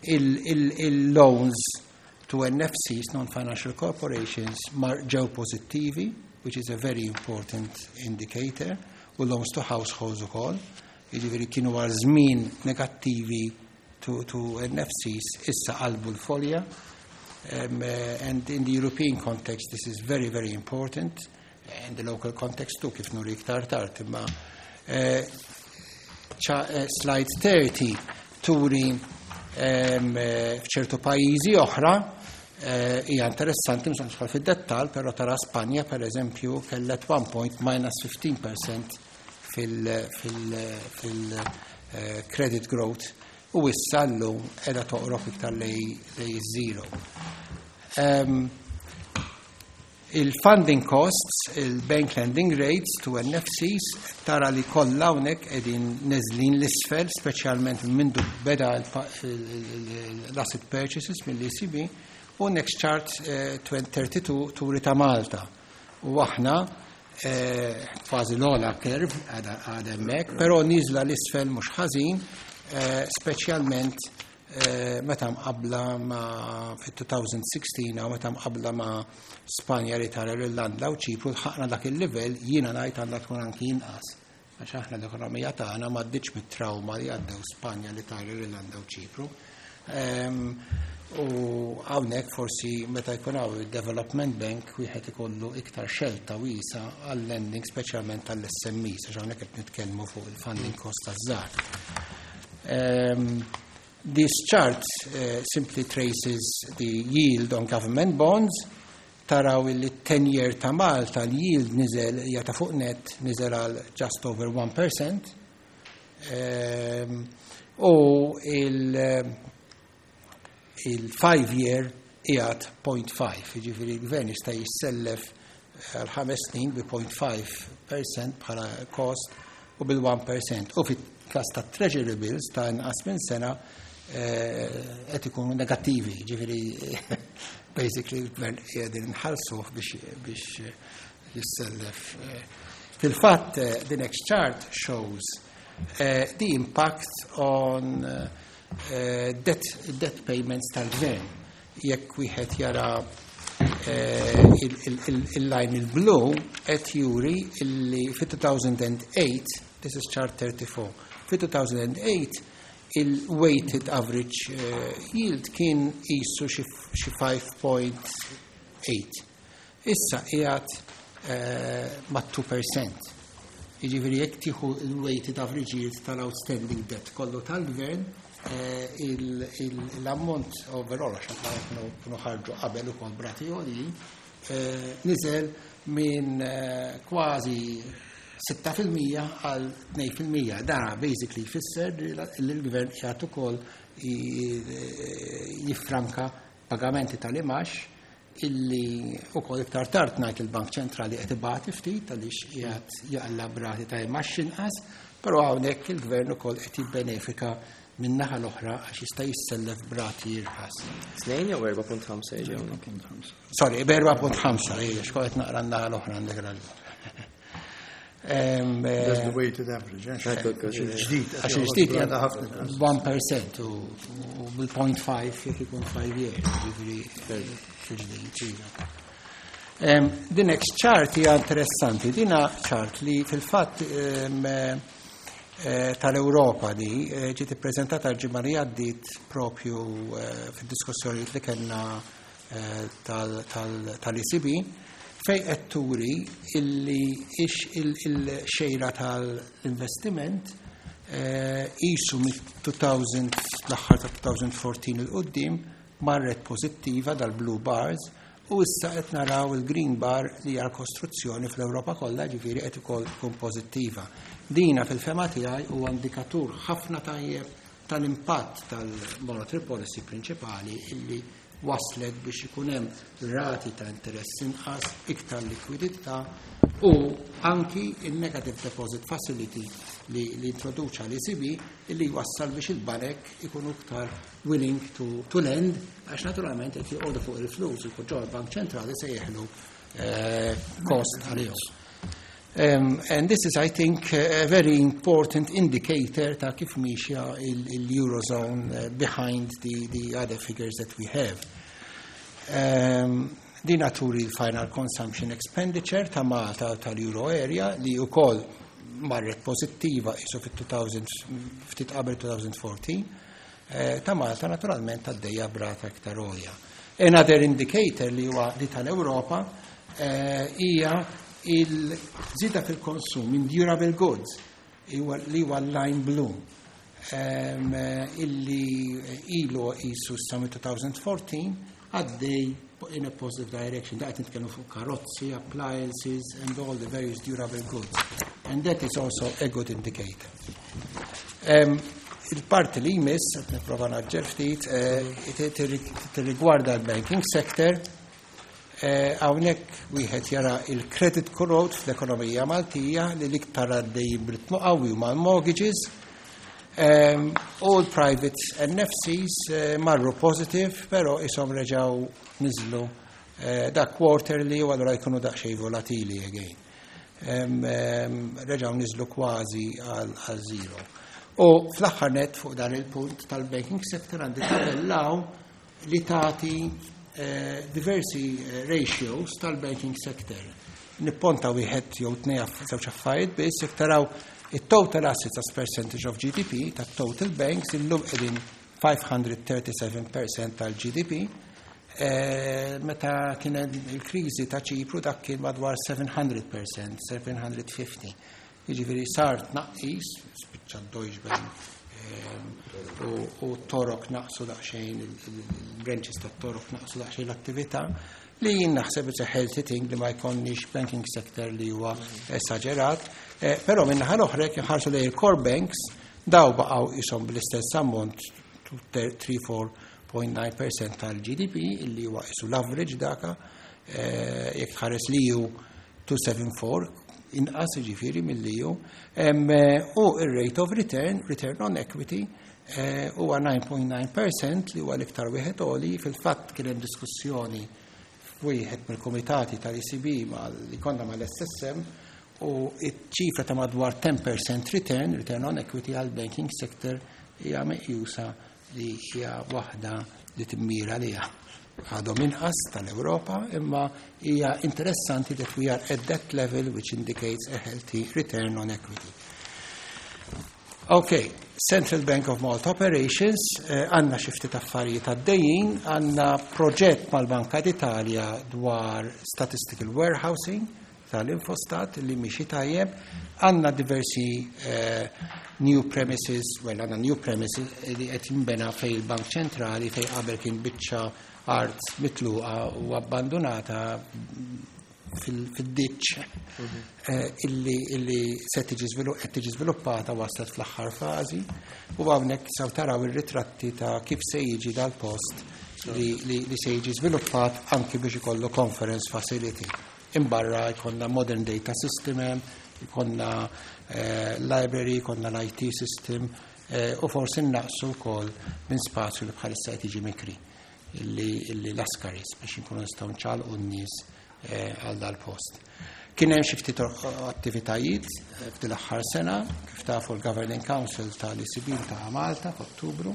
il-loans to NFCs, non-financial corporations, mar ġew pozittivi, which is a very important indicator, u loans to households ukoll. Jiġifieri kienu għal żmien negattivi to NFCs, issa qalbu l-folja. And in the European context, this is very, very important. In the local context too, kif nuri iktar tard. Imma slide 30 turi f'ċertu pajjiżi oħra hija interessanti, mhux nidħol fid-dettall, però tara Spanja per eżempju kellet one point minus 15% fil-credit growth u issa llum qiegħda toqrob iktar lej zero. Il-funding costs, il-bank lending rates to NFCs, tara li kollha hawnhekk qegħdin neżlin l-isfel, speċjalment mindu beda l-asset purchases mill-ECB, u next chart 32 turi ta' Malta. U aħna kważi l-ogħla curve għadha hemmhekk, però niżla l-isfel mhux ħażin, speċjalment meta mqabbla ma' fit-2016 u meta mqabbla ma' Spanja, l-Italja, l-Irlanda u Ċipru lħaqna dak il-livell, jiena ngħid għandha tkun anki inqas. Għax aħna l-ekonomija tagħna m'għaddietx mit-trauma li għaddew Spanja, l-Italja, l-Irlanda u Ċipru. U hawnhekk forsi meta jkun hawn il-Development Bank wieħed ikollu iktar xelta wiesa għall-lending, speċjalment għall-SMEs, għax hawnhekk qed nitkellmu fuq il-funding cost taż-żgħar. This chart simply traces the yield on government bonds. Taraw il 10-year ta' Malta l-yield niżel hija ta' fuq net niżel għal just over 1%. U il-5-year qiegħed 0.5, jiġifieri l-gvern jista' jissellef għal 5 snin bi 0.5% bħala cost u bil-1%. U fit-każ ta' treasury bills ta' inqas minn sena qed ikunu negattivi, ġifieri basically l-gvern qiegħdin nħallsuh biex jissellef. Fil-fatt, the next chart shows the impact on debt payments tal-gvern. Jekk wieħed jara il-line il-blu qed juri illi fit-2008, this is chart 34, fit-2008 il-weighted average yield kien qisu xi 5.8. Issa qiegħed ma' 2%. Jiġifieri jekk tieħu il-weighted average yield tal-outstanding debt kollu tal-gvern, l-ammont overall, għax kienu ħarġu qabel ukoll b'rati għoljin, niżel minn kważi 6% għal 2%. Dana basically jfisser li l-gvern qiegħed ukoll jiffranka pagamenti tal-imax illi ukoll iktar tard ngħid il-Bank Ċentrali qed ibati ftit għaliex qiegħed jaqla b'rati ta' imax inqas, però hawnhekk il-gvern ukoll qed jibbenefika min-naħa l-oħra għax jista' jissellef b'rati irħas. 2 jew 4.5 jiġi hawnhekk? Sorry, b'4.5, ejja, x'kont qed naqra n-naħa l-oħra għandek raġun. That's the weighted average, eh? Il-ġdid. Għax il-ġdid 1% u bil-0.5 jekk ikun 5 years, ġifieri il-ġdid. The next chart hija interessanti, dina chart li fil-fatt tal-Europa di ġiet ippreżentata l-ġimgħa li għaddiet propju fid-diskussjonijiet li kellna tal-ECB, fej qed turi illi ix il-xejra tal-investiment. Qisu mit-2000, l-aħħar ta' 2014 'il quddiem marret pożittiva dal-blue bars u issa qed naraw il-green bar li hija l-kostruzzjoni fl-Ewropa kollha, ġifieri qed ukoll tkun pożittiva. Dina fil-fehma tiegħi huwa indikatur ħafna tajjeb tal-impatt tal-monetary policy prinċipali illi waslet biex ikun hemm rati ta' interess inqas, iktar likwidità u anki il-negative deposit facility li introduċa l-ECB illi wassal biex il-banek ikunu iktar willing to lend, għax naturalment qed joqogħdu fuq il-flus u ġol Bank Ċentrali se jeħlu cost għalihom. And this is, I think, a very important indicator ta' kif miexja il-Eurozone behind the other figures that we have. Din turi il-final consumption expenditure ta' Malta tal-Euro area li wkoll marret pozittiva isu fit-2000, ftit qabel 2014, ta' Malta naturalment għaddejja b'rata iktar għolja. Another indicator li huwa li tal-Ewropa hija il-żieda fil-konsum in durable goods li huwa line blue illi ilu isu sa 2014 għaddej in a positive direction. Da qed nitkellmu fuq karozzi, appliances and all the various durable goods. And that is also a good indicator. Il-parti li jmiss, qed nipprova ngħaġġel ftit, tirrigwarda l-banking sector. Hawnhekk wieħed jara il-credit growth fl-ekonomija Maltija li l-iktar għaddej b'ritmu qawwi mal-mortgages. All private NFCs marru positive, pero isom reġaw niżlu da quarterly u allura jkunu daqsxejn volatili again. Reġaw niżlu kważi għal zero. U fl-aħħar net fuq dan il-punt tal-banking sector għandi tabellaw li tagħti diversi ratios tal-banking sector. Nipponta wieħed jew tnejn, żewġ affarijiet biss. Jekk taraw it-total assets as percentage of GDP tat-total banks, illum qegħdin 537% tal-GDP. Meta kien il-kriżi ta' Ċipru dak kien madwar 700%, 750. Jiġifieri sar tnaqqis, spiċċa Deutsche Bank u Torok naqsu daqsxejn, il-branches ta' Torok naqsu daqsxejn l-attività, li jien naħseb it's a healthy thing li ma jkollniex banking sector li huwa esagerat, però min-naħa l-oħra jekk inħarsu lejn il-core banks, daw baqgħu ishom bl-istess ammont, 34.9% tal-GDP, illi huwa isu l-average daka, jekk tħares li ju 274 inqas ġifieri mill-li ju. U il-rate of return, return on equity, huwa 9.9% li huwa l-iktar wieħed għoli. Fil-fatt kien hemm diskussjoni f'wieħed mill-komitati tal-ECB li konna mal-SSM u iċ-ċifra ta' madwar 10% return on equity għal banking sector hija meqjusa li hija waħda li timmira liha. Għadhom inqas tal-Ewropa, imma hija interessanti that we are at that level, which indicates a healthy return on equity. Okay, Central Bank of Malta Operations, għandna xi ftit affarijiet għaddejjin, għandna proġett mal-Banka d'Italja dwar statistical warehousing tal-Infostat li miexi tajjeb, għandna diversi new premises, well, għandna new premises li qed jinbena fej il-Bank Ċentrali, fej qabel kien biċċa art mitluqa u abbandonata fil-ditch, illi se tiġi qed tiġi żviluppata, waslet fl-aħħar fażi u hawnhekk saw taraw ir-ritratti ta' kif se jiġi dal-post li se jiġi żviluppat anki biex ikollu conference facility. Imbarra jkollna modern data system hemm, jkollna library, jkollna l-IT system u forsi naqsu wkoll minn spazju li bħalissa qed jiġi mikri illi Lascaris biex inkunu nistgħu nċaqalqu n-nies għal dal-post. Kien hemm xi ftit attivitajiet f'din l-aħħar sena, kif tafu l-Governing Council tal-ECB ta' Malta f'Ottubru.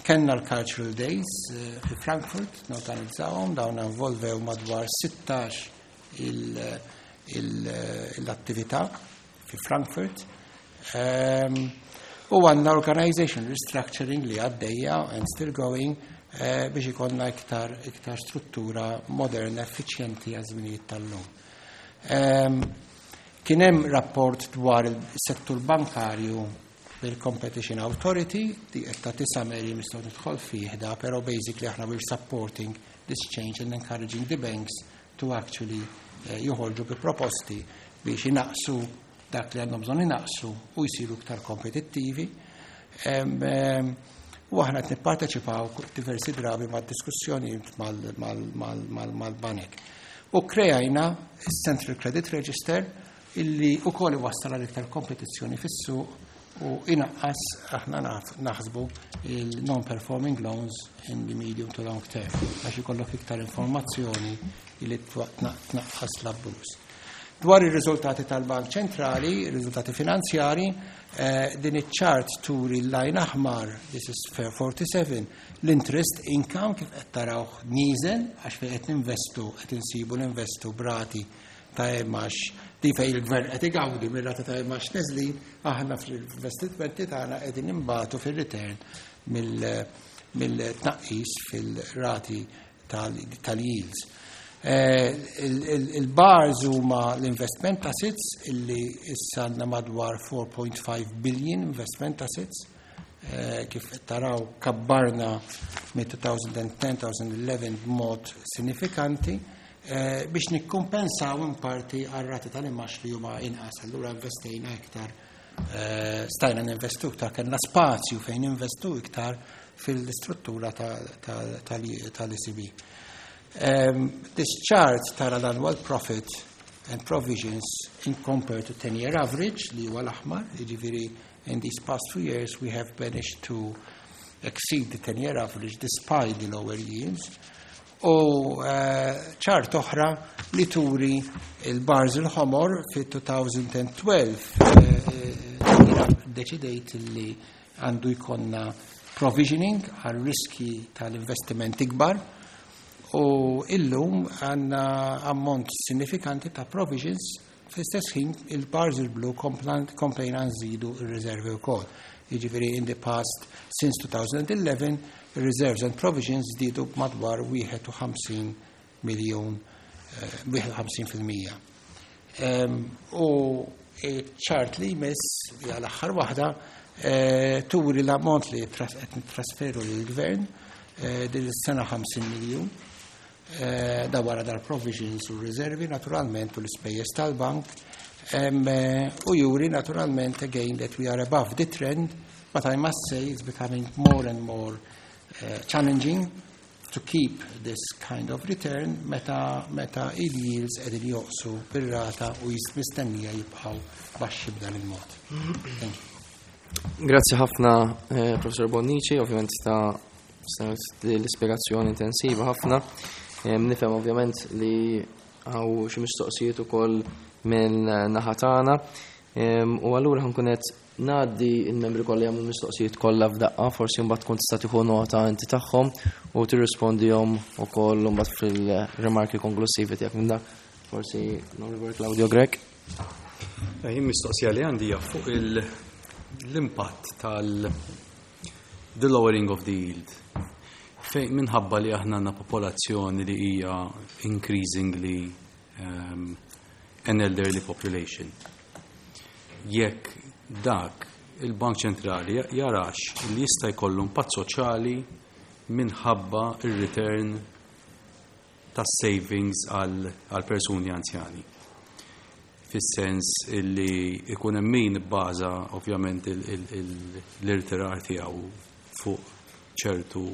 Kenna l-Cultural Days fi Frankfurt, norganizzawhom, dawn involvew madwar 16 l-attività fi Frankfurt. U għandna organization restructuring li għaddejja and still going biex ikollna iktar struttura moderna, effiċjenti għaż-żminijiet tal-lum. Kien hemm rapport dwar il-settur bankarju. bil-Competition Authority, di qed tagħti summary, nistgħu nidħol fih da, però basically aħna we're supporting this change and encouraging the banks to actually joħorġu bi proposti biex inaqsu dak li għandhom bżonn inaqsu u jsiru iktar kompetittivi. U aħna qed nipparteċipaw diversi drabi mad-diskussjonijiet mal-banek. U kreajna il-Central Credit Register, illi ukoll iwassal għal iktar kompetizzjoni fis-suq u inaqqas, aħna naħsbu, il-non-performing loans in the medium to long term, għax ikollok iktar informazzjoni illi tnaqqas l-abbuż. Dwar ir-riżultati tal-Bank Ċentrali, ir-riżultati finanzjari, din iċ-chart turi l-line aħmar, this is fair 47, l-interest income kif qed tarawh nieżel għax fejn qed ninvestu qed insibu ninvestu b'rati ta' imgħax di fejn il-gvern qed igawdi mir-rata ta' imgħax neżlin, aħna fl-investimenti tagħna qegħdin imbatu fir-return mill-tnaqqis fil-rati tal-yields. Il-bars huma l-investment assets, illi issa għandna madwar 4.5 billion investment assets. Kif taraw, kabbarna minn 2010-2011 b'mod sinifikanti biex nikkumpensaw in parti għar-rati tal-imgħax li huma inqas. Allura investejna iktar, stajna ninvestu iktar, kellna spazju fejn investu iktar fil-istruttura tal-ECB. This chart tara l-annual profit and provisions in compared to 10-year average, li huwa l-aħmar, jiġifieri in these past 2 years we have managed to exceed the 10-year average despite the lower yields. U chart oħra li turi il-bars il-ħomor fi 2012, deċidejt li għandu jkollna provisioning għal riski tal-investiment ikbar u illum għandna ammont sinifikanti ta' provisions. Fl-istess ħin, il-bars il-blu, komplejna nżidu il-riservi wkoll. Jiġifieri in the past, since 2011, reserves and provisions żdiedu b'madwar 51 miljon, 51%. U chart li jmiss, hija l-aħħar waħda, turi l-ammont li qed nittrasferu lill-gvern din is-sena, 50 miljun. Da wara dar provisions u riservi naturalment u l-ispejjeż tal-bank. U juri naturalment again that we are above the trend, but I must say it's becoming more and more challenging to keep this kind of return meta il-yields qegħdin joqsu bir-rata u mistennija jibqgħu baxxi b'dan il-mod. Thank you. Grazzi ħafna, Professor Bonnici, ovvjament ta' l-ispiegazzjoni intensiva ħafna. Nifhem ovvjament li hawn xi mistoqsijiet ukoll minn naħa tagħna. U allura ħa nkun qed ngħaddi il-membri kollha jagħmlu mistoqsijiet kollha f'daqqa, forsi mbagħad tkun tista' tieħu nota inti tagħhom u tirrispondihom ukoll mbagħad fil-rimarki konklusivi tiegħek minn dak. Forsi l-Onorevoli Claudio Grech. Jien mistoqsija li għandi hija fuq l-impatt tal the lowering of the yield. Fejn minħabba li aħna għandna popolazzjoni li hija increasingly an elderly population. Jekk dak il-Bank Ċentrali jarax li jista' jkollu impatt soċjali minħabba ir-return tas savings għal persuni anzjani. Fis-sens illi ikun hemm min ibbaża ovvjament l-irtirar tiegħu fuq ċertu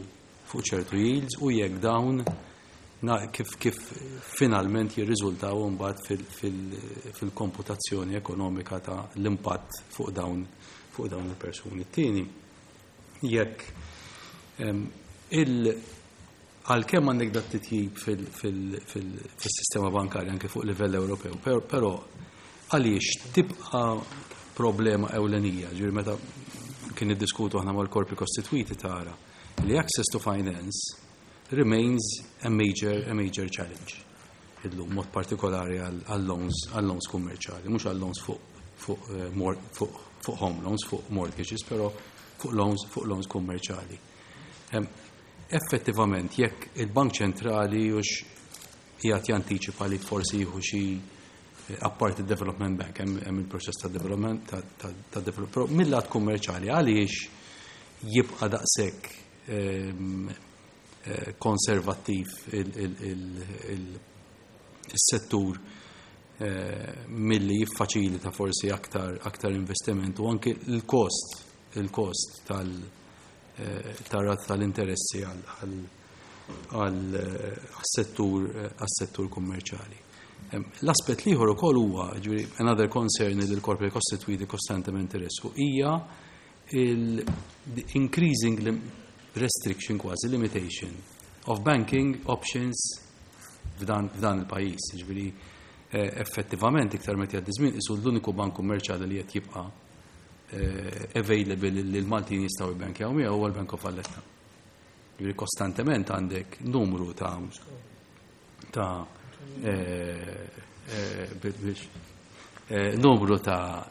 yields u jekk dawn kif finalment jirriżultaw mbagħad fil-komputazzjoni ekonomika ta' l-impatt fuq dawn il-persuni. Tieni, jekk għalkemm għandek dat titjib fil-sistema bankarja anke fuq livell Ewropew, però għaliex tibqa problema ewlenija, ġifieri meta kien iddiskutu aħna mal-korpi kostitwiti tara li access to finance remains a major challenge. Illum mod partikolari għal loans kummerċali, mhux għal loans fuq home loans, fuq mortgages, però fuq loans kummerċali. Effettivament, jekk il-Bank Ċentrali hux qiegħed jantiċipa li forsi jieħu xi Apparti Development Bank, hemm il-proċess ta' development ta' develop, però mill-lat kummerċjali għaliex jibqa' daqshekk konservattiv il-settur milli jiffaċilita forsi aktar investiment u anke il-kost tal-rata tal-interessi għal-settur kummerċjali. L-aspett l-ieħor ukoll huwa, ġifieri, another concern li l-korpi kostitwiti kostantement interessu hija il-increasing restriction, kważi limitation of banking options f'dan il-pajjiż. Ġifieri, effettivament iktar meta jgħaddi żmien isu l-uniku bank kummerċjali li qed jibqa' available li l-Maltin jistgħu jibbankjaw miegħu huwa l-Bank of Valletta. Ġifieri kostantement għandek numru ta' biex numru ta'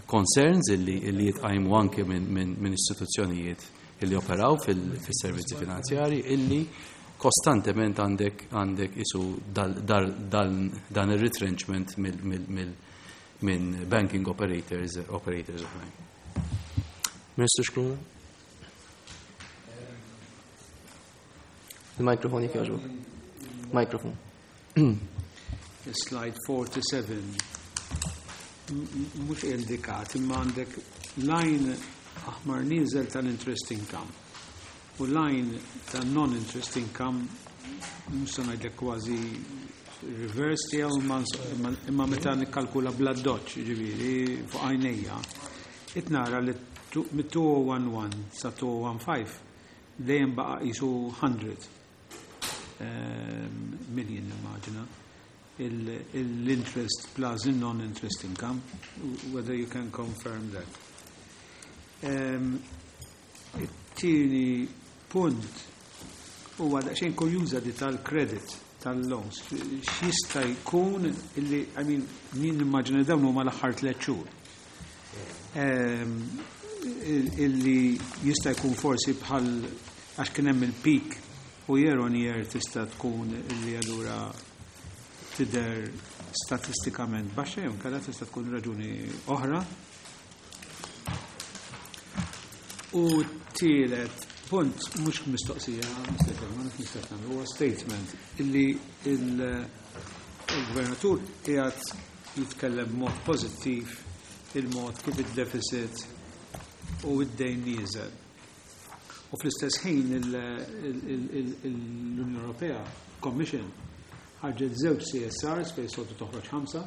concerns illi jitqajmu anke minn istituzzjonijiet illi operaw fil-servizzi finanzjari illi kostantement għandek isu dan il-retrenchment minn banking operators oħrajn. Ministru Scicluna? Il-mikrofon jekk jogħġbok. Mikrofon. Slide 47. Mhux indikat, imma għandek line aħmar nieżel tal-interest income u line ta' non-interest income, mhux se ngħidlek kważi reverse tiegħu, imma meta nikkalkula bla doċ, ġifieri fuq għajnejja, qed nara li mit-2011 sa 2015 dejjem baqa' qisu 100 million, immaġina l-interest plus il-non-interest income, whether you can confirm that. It-tieni punt huwa daqsxejn kurjuża di tal-credit tal-loans. X'jista' jkun illi, I mean, jien nimmaġina dawn huma l-aħħar 3 xhur. Illi jista' jkun forsi bħal għax kien hemm il-peak u year on year tista' tkun illi allura tidher statistikament baxxa jew inkella tista' tkun raġuni oħra. U tielet punt, mhux mistoqsija, ma nafx nista' nagħmlu, huwa statement illi il-gvernatur qiegħed jitkellem b'mod pożittiv il-mod kif id-deficit u id-dejn nieżel. U fl-istess ħin l-Unjoni Ewropea Commission ħarġet żewġ CSRs fejn soltu toħroġ 5,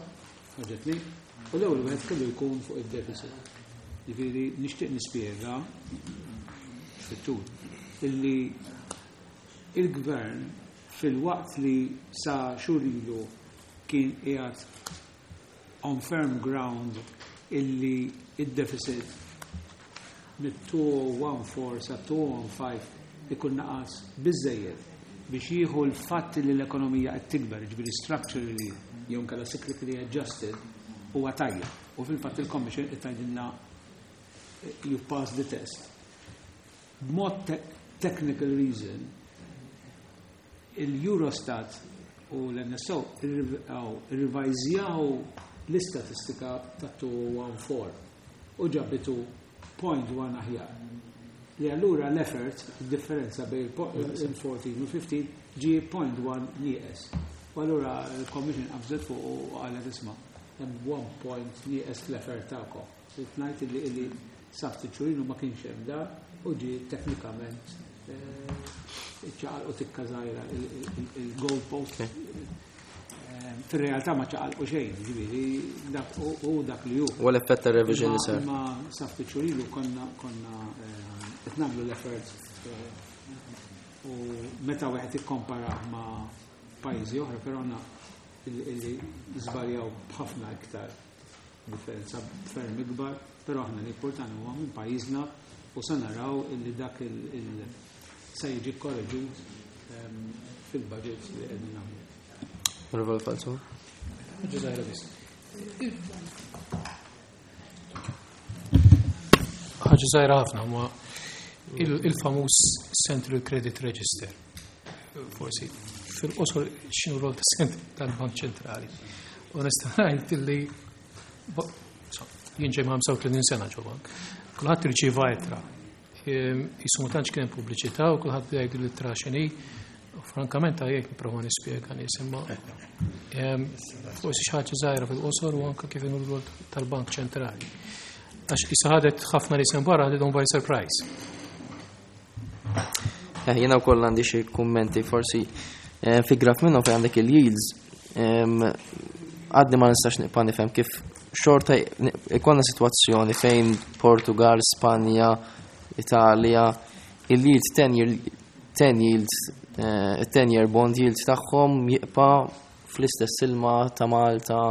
ħarġet li, u l-ewwel wieħed kellu jkun fuq id-deficit. Ġifieri nixtieq nispjega fit-tul illi il-gvern fil-waqt li sa xhur ilu kien qiegħed on firm ground illi id-deficit mit-2014 sa 2015 ikun naqas biżejjed biex jieħu l-fatt li l-ekonomija qed tikber, ġifieri structurally jew inkella cyclically adjusted, huwa tajjeb. U fil-fatt il-Commission qed tgħidilna you pass the test. B'mod technical reason, il-Eurostat u l-NSO irrivajżjaw l-istatistika ta' 2014 u ġabitu 0.1 aħjar. Li allura l-effort, il-differenza bejn il-14 u 15 ġie 0.1 nieqes. U allura l-Commission qabżet fuq u qalet isma' hemm 1 point nieqes fl-effort tagħkom. Trid ngħid illi sa ftit xhur ilu ma kienx hemm da u ġie teknikament ċaqalqu tikka żgħira il-goal post. Fir-realtà ma ċaqalqu xejn, ġifieri dak u dak li hu. U l-effett ta' revision li sar. Ma sa ftit xhur ilu konna qed nagħmlu l-effort u meta wieħed ikkompara ma' pajjiżi oħra, però għandna illi żbaljaw b'ħafna iktar differenza ferm ikbar, però aħna li importanti huwa minn pajjiżna u se naraw illi dak il se jiġi korreġut fil-budget li qegħdin nagħmlu. Onorevole Falzon. Ħaġa żgħira biss. Ħaġa żgħira ħafna huma il-famuż Central Credit Register. Forsi fil-qosor x'inhu rol tal-Bank Ċentrali. U nista' ngħid illi jien ġej ma' 35 sena ġo bank. Kulħadd irċieva ittra. Jisu ma tantx kien pubbliċità u kulħadd beda jgħidu l-ittra x'inhi. U frankament għajjek nipprova nispjega nies imma forsi xi ħaġa żgħira fil-qosor u anke kif inhu l-rwol tal-Bank Ċentrali. Għax issa ħadet ħafna nies minn barra ħadithom by surprise. Eh, jiena wkoll għandi xi kummenti forsi eh, fi graf minnhom fejn għandek il-yields għadni ma nistax nibqa' nifhem kif xorta ikonna sitwazzjoni fejn Portugal, Spanja, Italja, il-yield 10 year 10 yield 10 eh, year bond yield tagħhom jibqa' fl-istess ilma ta' Malta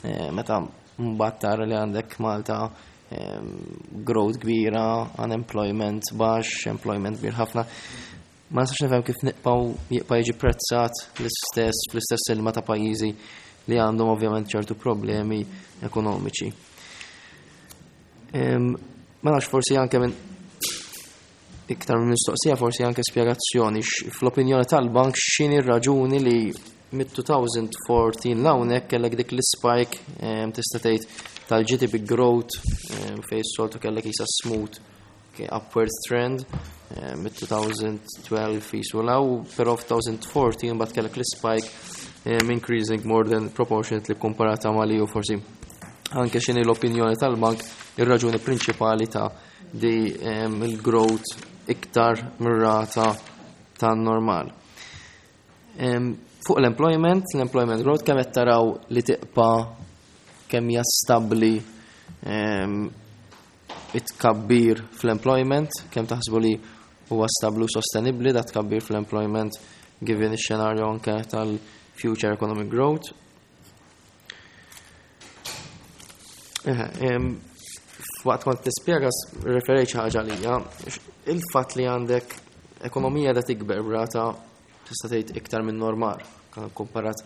meta mbagħad tara li għandek Malta growth kbira, unemployment baxx, employment kbir ħafna. Ma nistax nifhem kif nibqgħu jibqa' jiġi prezzat l-istess fl-istess ilma ta' pajjiżi li għandhom ovvjament ċertu problemi ekonomiċi. Ma nafx forsi anke minn iktar minn mistoqsija forsi anke spjegazzjoni fl-opinjoni tal-bank x'inhi r-raġuni li mit-2014 l-hawnhekk kellek dik l-spike tista' tgħid tal-GDP growth fejn s-soltu kellek isa smooth upward trend mit-2012 jisu law, però f'2014 mbagħad kellek l-spike increasing more than proportionately komparata ma' li u forsi anke x'inhi l-opinjoni tal-bank ir-raġuni prinċipali ta' di il-growth iktar mir-rata tan-normal. Fuq l-employment, l-employment growth kemm qed taraw li tiqpa' kemm hija stabbli it-tkabbir fl-employment, kemm taħsbu li huwa stabbli u sostenibbli da tkabbir fl-employment given ix-xenarju anke tal-future economic growth. Waqt kont tispjega referejt xi ħaġa lija, il-fatt li għandek ekonomija da tikber brata tista' tgħid iktar minn normal komparat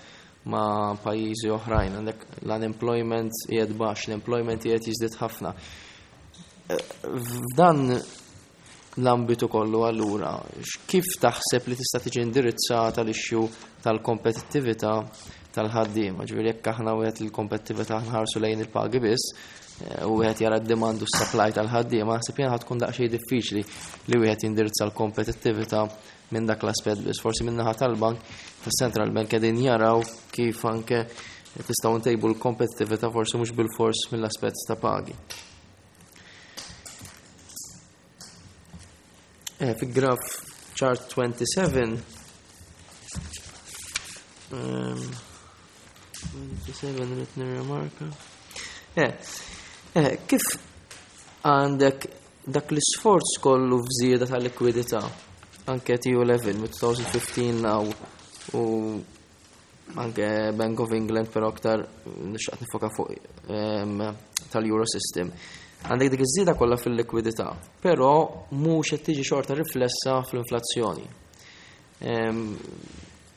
ma' pajjiżi oħrajn, għandek l-unemployment qiegħed baxx, l-employment qiegħed jiżdied ħafna. F'dan l-ambitu kollu allura, kif taħseb li tista' tiġi indirizzata l-issue tal-kompetittività tal-ħaddiema? Ġifieri jekk aħna wieħed il-kompetittività nħarsu lejn il-pagi biss, eh, u wieħed jara d-demand u s-supply tal-ħaddiema, naħseb jiena tkun daqsxejn diffiċli li wieħed jindirizza l-kompetittività minn dak l-aspett biss. Forsi minn naħa tal-bank, tas-Central Bank qegħdin jaraw kif anke tistgħu ntejbu l-kompetittività forsi mhux bil-fors mill-aspett ta' pagi. Eh, fi graf chart 27 um, 27 rrit nirrimarka. Eh, eh, kif għandek dak l-isforz kollu f'żieda ta' likwidità anke TU level mit-2015 law u anke Bank of England però aktar nixtaqt nifoka fuq ehm, tal-Euro System. Għandek dik iż-żieda kollha fil-likwidità, però mhux qed tiġi xorta riflessa fl-inflazzjoni. Ehm,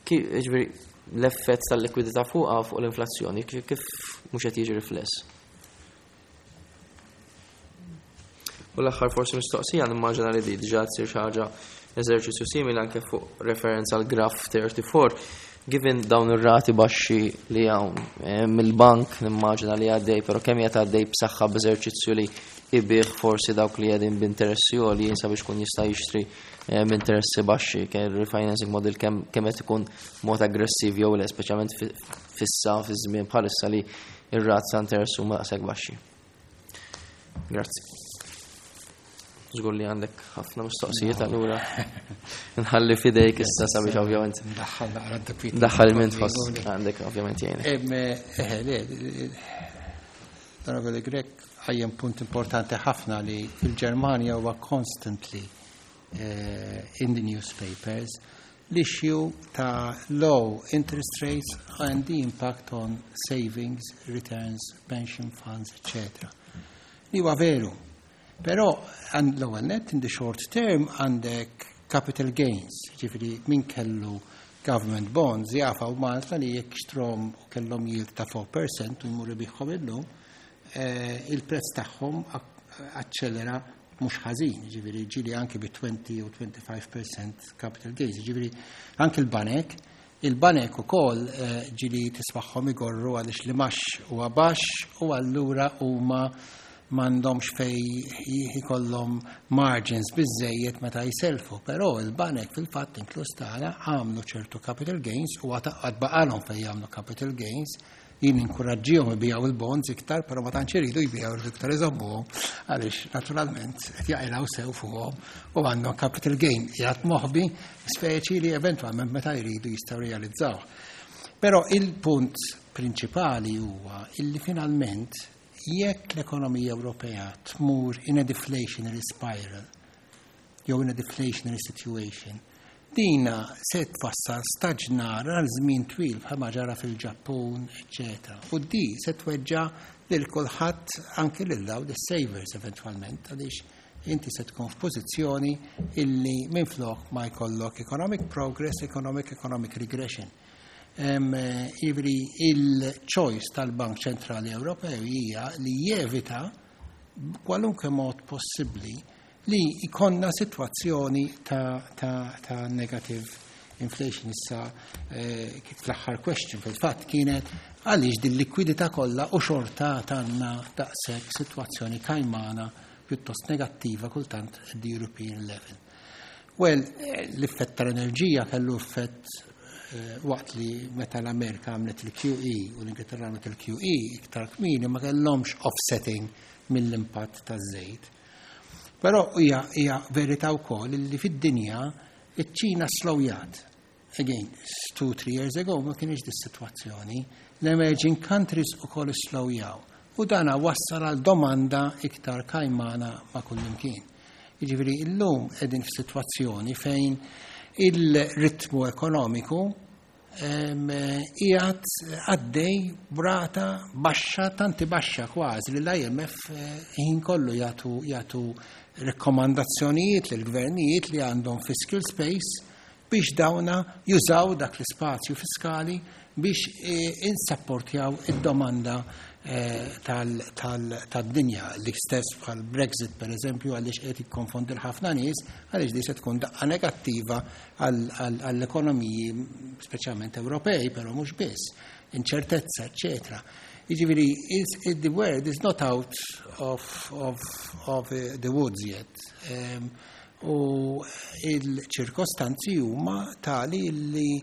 ġifieri l-effett tal-likwidità fuqha fuq l-inflazzjoni kif mhux qed jiġi rifless? U l-aħħar forsi mistoqsija nimmaġina li di diġà tsir xi ħaġa eżerċizzju simili anke fuq referenza għal graf 34. Given dawn ir-rati baxxi li hawn eh, mill-bank nimmaġina li għaddej, però kemm qed għaddej b'saħħa b'eżerċizzju li ibih forsi dawk li qegħdin b'interessi għoljin sabiex kun jista' jixtri eh, b'interessi baxxi, kien refinancing model kemm qed ikun mod aggressiv jew le, speċjalment fissa fi żmien bħalissa li ir-rat ta' interess huma daqshekk baxxi. Grazzi. Żgur li għandek ħafna mistoqsijiet allura. Nħalli fidejk issa sabiex ovvjament. Daħħal naqra d-dakwit. Daħħal minn tħoss għandek ovvjament jgħinek. Eh, le, Onorevoli Grek għajjem punt importanti ħafna li fil-Ġermanja huwa constantly eh, in the newspapers l-issue ta' low interest rates and the impact on savings, returns, pension funds, etc. Li huwa veru. Però l-ewwel net in the short term għandek capital gains, ġifieri min kellu government bonds jafaw Malta li jekk xtrom u kellhom yield ta' 4% u jmur ibiħħom illum, eh, il-prezz tagħhom aċċelera mhux ħażin, ġifieri ġieli anki bi 20 u 25% capital gains, ġifieri anki l-banek Il-banek ukoll ġieli tismagħhom igorru għaliex l-imgħax huwa baxx u allura huma m'għandhomx fejn ikollhom margins biżżejjed meta jsellfu, però il-banek fil-fatt inkluż tagħna għamlu ċertu capital gains u għad baqalhom fejn jagħmlu capital gains. Jien inkuraġġihom ibijaw il-bonds iktar, però ma tantx iridu jbijaw iridu iktar iżommuhom għaliex naturalment qed jaqilgħu sew fuqhom u għandhom capital gain qiegħed moħbi speċi li eventwalment meta jridu jistgħu realizzaw. Però il-punt prinċipali huwa illi finalment jekk l-ekonomija Ewropea tmur in a deflationary spiral jew in a deflationary situation, dina se tfassal staġnar għal żmien twil bħalma ġara fil-Ġappun, eċetera. U di se tweġġa lil kulħadd anke lil dawn is-savers eventwalment għaliex inti se tkun f'pożizzjoni illi minflok ma jkollok economic progress, economic regression. Jiġifieri il-choice tal-Bank Ċentrali Ewropew hija li jevita kwalunkwe mod possibbli li jkollna sitwazzjoni ta' negative inflation. Issa kif fl-aħħar question fil-fatt kienet għaliex din likwidità kollha u xorta għandna daqshekk sitwazzjoni kajmana pjuttost negattiva kultant at the European level. Well, l-effett tal-enerġija kellu effett waqt li meta l-Amerika għamlet il-QE u l-Ingilterra għamlet il-QE iktar kmieni ma kellhomx offsetting mill-impatt taż-żejt. Però hija verità wkoll li fid-dinja iċ-Ċina slowjat. Again, 2, 3 years ago ma kienx dis-sitwazzjoni. L-emerging countries ukoll slowjaw. U dana wassal għal domanda iktar kajmana ma' kullimkien. Jiġifieri illum qegħdin f'sitwazzjoni fejn il-ritmu ekonomiku qiegħed għaddej b'rata baxxa, tanti baxxa kważi li l-IMF ħin kollu jagħtu rekomandazzjonijiet lill-gvernijiet li għandhom fiscal space biex dawna jużaw dak l-ispazju fiskali biex insapportjaw id-domanda tad-dinja. L-istess bħal Brexit, per eżempju, għaliex qed ikkonfondi ħafna nies, għaliex di se tkun daqqa negattiva għall-ekonomiji speċjalment Ewropej, però mhux biss, inċertezza, eccetera. Jiġifieri, the word is not out of the woods yet. U il-ċirkostanzi huma tali li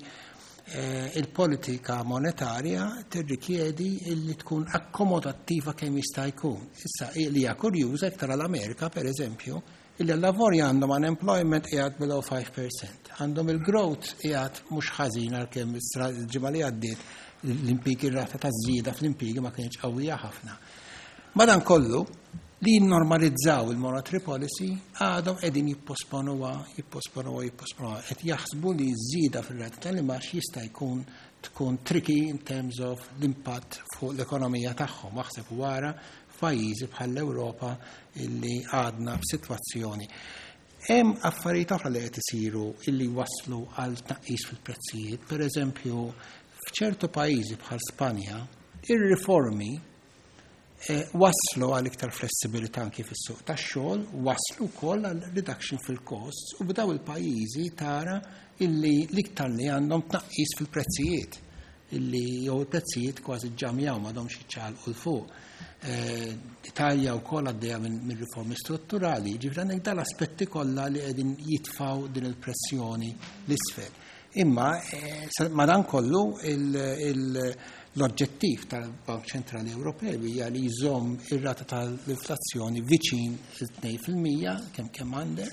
il-politika monetarja tirrikjedi illi tkun akkomodattiva kemm jista' jkun. Issa li hija kurjuża iktar għall-Amerika, per eżempju, illi l-lavorja għandhom unemployment qiegħed below 5%. Għandhom il-growth qiegħed mhux ħażin għalkemm il-ġimgħa li għaddiet l-impjiegi, rata ta' żieda fl-impjiegi ma kienx qawwija ħafna. Madan kollu li normalizzaw il-monetary policy għadhom qegħdin jipposponuha, jipposponuha, jipposponuha. Qed jaħsbu li żieda fir-rata tal-imgħax jista' jkun tkun tricky in terms of l-impatt fuq l-ekonomija tagħhom. Aħseb wara f'pajjiżi bħall-Ewropa illi għadna f'sitwazzjoni. Hemm affarijiet oħra li qed isiru illi waslu għal tnaqqis fil-prezzijiet. Per eżempju, f'ċertu pajjiżi bħal Spanja, ir-riformi waslu għal iktar flessibilità anki fis-suq tax-xogħol, waslu wkoll għal reduction fil-costs u b'daw il-pajjiżi tara illi l-iktar li għandhom tnaqqis fil-prezzijiet illi jew il-prezzijiet kważi ġamjaw, m'għadhomx jiċċaqalqu 'l fuq. Italja wkoll għaddejja minn riformi strutturali, ġifieri għandek dal-aspetti kollha li qegħdin jitfaw din il-pressjoni l-isfel. Imma madan kollu l-oġġettiv tal-Bank Ċentrali Ewropew hija li jżomm ir-rata tal-inflazzjoni viċin il-2% kemm kemm għandek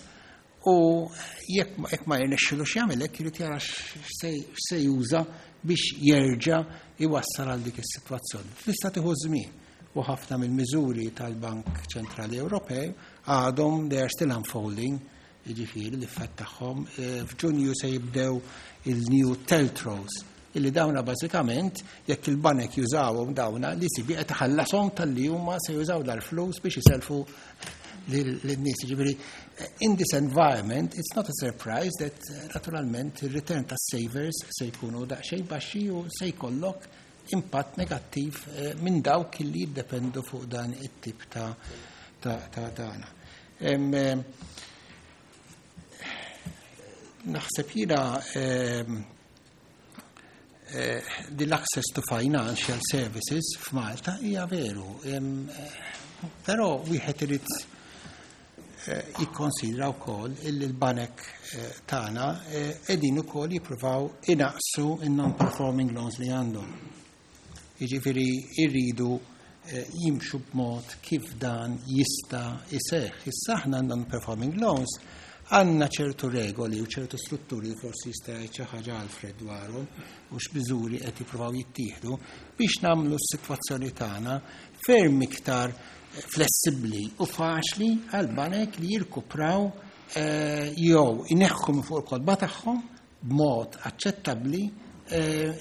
u jekk ma jirnexxilux jagħmel hekk irid jara x'se juża biex jerġa' iwassal għal dik is-sitwazzjoni. Tista' tieħu żmien u ħafna mill-miżuri tal-Bank Ċentrali Ewropew għadhom, they are still unfolding, jiġifieri l-effett tagħhom. F'Ġunju se jibdew il-new TLTROs illi dawna bażikament jekk il-banek jużawhom dawna li ECB qed iħallashom talli huma se jużaw dal-flus biex iselfu lin-nies. Ġifieri in this environment it's not a surprise that naturalment il-return tas savers se jkunu daqsxejn baxxi u se jkollok impatt negattiv minn dawk li jiddependu fuq dan it-tip ta' dana. Naħseb jiena L-access to financial services f'Malta hija veru. Però wieħed irid jikkonsidra wkoll illi l-banek tagħna qegħdin ukoll jippruvaw inaqsu in-non-performing loans li għandhom. Jiġifieri jridu jimxu b'mod kif dan jista' jseħħ. Issa aħna non-performing loans għandna ċertu regoli u ċertu strutturi li forsi jista' jgħid xi ħaġa Alfred dwarhom u x'miżuri qed jippruvaw jittieħdu biex nagħmlu s-sitwazzjoni tagħna ferm iktar flessibbli u faċli għal banek li jirkupraw jew ineħħu minn fuq il-kotba tagħhom b'mod aċċettabbli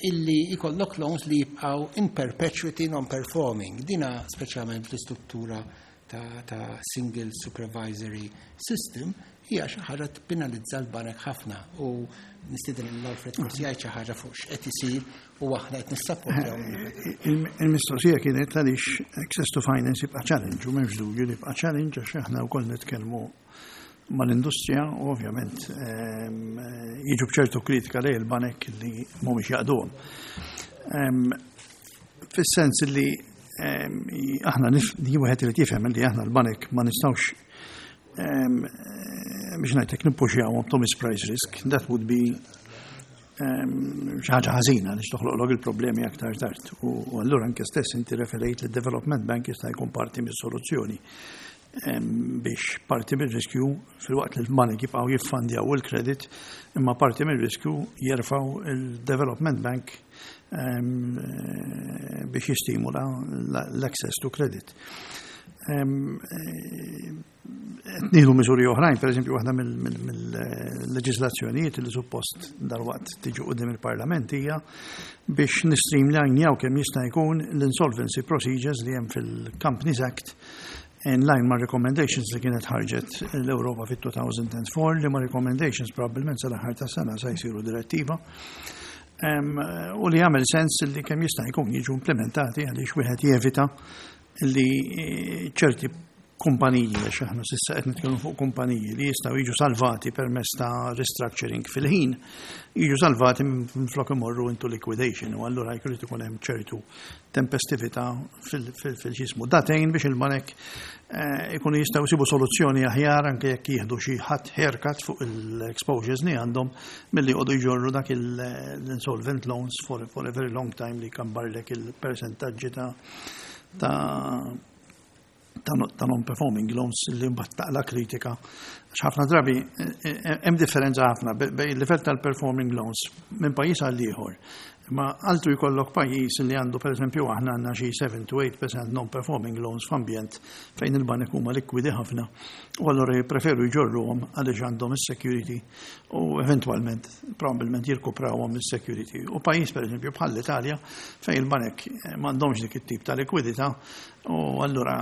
illi jkollok loans li jibqgħu in perpetuity non-performing. Dina speċjalment fl-istruttura ta' single supervisory system hija xi ħaġa tpenalizza l-banek ħafna u nistieden l-Alfred forsi jgħid xi ħaġa fuq x'qed isir u aħna qed nissapportjaw. Il-mistoqsija kienet għaliex access to finance jibqa' challenge u m'hemmx dubju li jibqa' challenge għax aħna wkoll nitkellmu mal-industrija u ovvjament jiġu bċertu kritika lejn il-banek li mhumiex jaqduhom. Fis-sens li aħna wieħed irid jifhem li aħna l-banek ma nistgħux biex ngħidlek nippuxjawhom to misprice risk, that would be xi ħaġa ħażina li toħloqlok il-problemi aktar tard. U allura anke stess inti referejt li Development Bank jista' jkun parti mis-soluzzjoni biex parti mir-riskju filwaqt li l-banek jibqgħu jiffandjaw il-kredit imma parti mir-riskju jerfgħu il-Development Bank biex jistimula l-access to credit. Nieħdu miżuri oħrajn, per eżempju, waħda mill-leġislazzjonijiet li suppost dalwaqt tiġi quddiem il-Parlament hija biex nistreamlinjaw kemm jista' jkun l-insolvency procedures li hemm fil-Companies Act in line ma' recommendations li kienet ħarġet l-Europa fit-2004 li ma' recommendations probabbilment sal-aħħar ta' sena sa jsiru direttiva. U li jagħmel sens li kemm jista' jkun jiġu implementati għaliex wieħed jevita li ċerti kumpaniji, għax aħna s'issa qed nitkellmu fuq kumpaniji li jistgħu jiġu salvati permezz ta' restructuring fil-ħin, jiġu salvati minflok imorru into liquidation u allura jrid ikun hemm ċertu tempestività fil-ġismu. Datejn biex il-banek ikunu jistgħu jsibu soluzzjoni aħjar anke jekk jieħdu xi ħadd haircut fuq il-exposures li għandhom milli jqogħdu jġorru dak l-insolvent loans for a very long time li kambarlek il-percentaġġi ta' non-performing loans li mbagħad taqla kritika. Għax ħafna drabi hemm differenza ħafna bejn il-livell tal-performing loans minn pajjiż għal ieħor. Ma altru jkollok pajjiż li għandu pereżempju aħna għandna xi 7 to 8% non-performing loans f'ambjent fejn il-banek huma likwidi ħafna u allura jippreferu jġorruhom għaliex għandhom is-security u eventwalment probabbilment jirkuprawhom is-security. U pajjiż pereżempju bħal l-Italja fejn il-banek m'għandhomx dik it-tip ta' likwidità u allura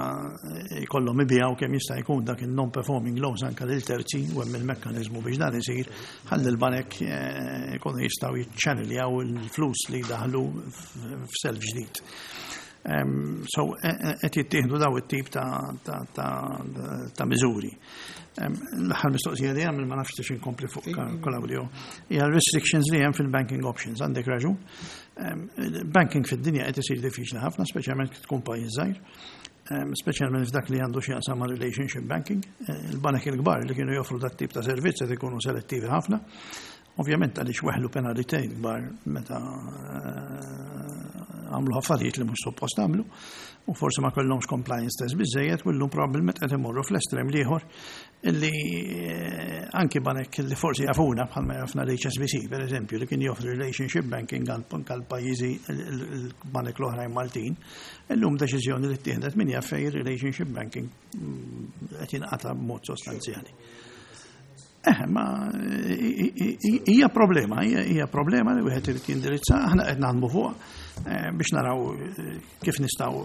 jkollhom ibijaw kemm jista' jkun dak il-non-performing loans anke lil terzi u hemm il-mekkaniżmu biex dan isir ħalli l-banek jkunu jistgħu jiċċanneljaw il-flus li daħlu f'self ġdid. So qed jittieħdu daw it-tip ta' miżuri. L-aħħar mistoqsija li hemm ma nafx tix inkompli fuq Claudio hija restrictions li hemm fil-banking options. Għandek raġun. Banking fid-dinja qed isir diffiċli ħafna, speċjalment kif tkun pajjiż żgħir, speċjalment f'dak li għandu x'jaqsam ma' relationship banking. Il-banek il-kbar li kienu joffru dat tip ta' servizz qed ikunu selettivi ħafna. Ovvjament għaliex weħlu penalitajiet kbar meta għamlu affarijiet li mhux suppost għamlu u forsi ma kellhomx compliance test biżejjed u llum probabbilment qed imorru fl-estrem l-ieħor illi anki banek li forsi jafuna bħalma jafna l-HSBC per eżempju li kien joffri relationship banking għal pajjiżi il-banek l-oħrajn Maltin, illum deċiżjoni li ttieħdet min jaf fejn relationship banking qed jinqata' b'mod sostanzjali. Ma hija problema, hija problema li wieħed irid jindirizza, aħna qed naħdmu fuq biex naraw kif nistgħu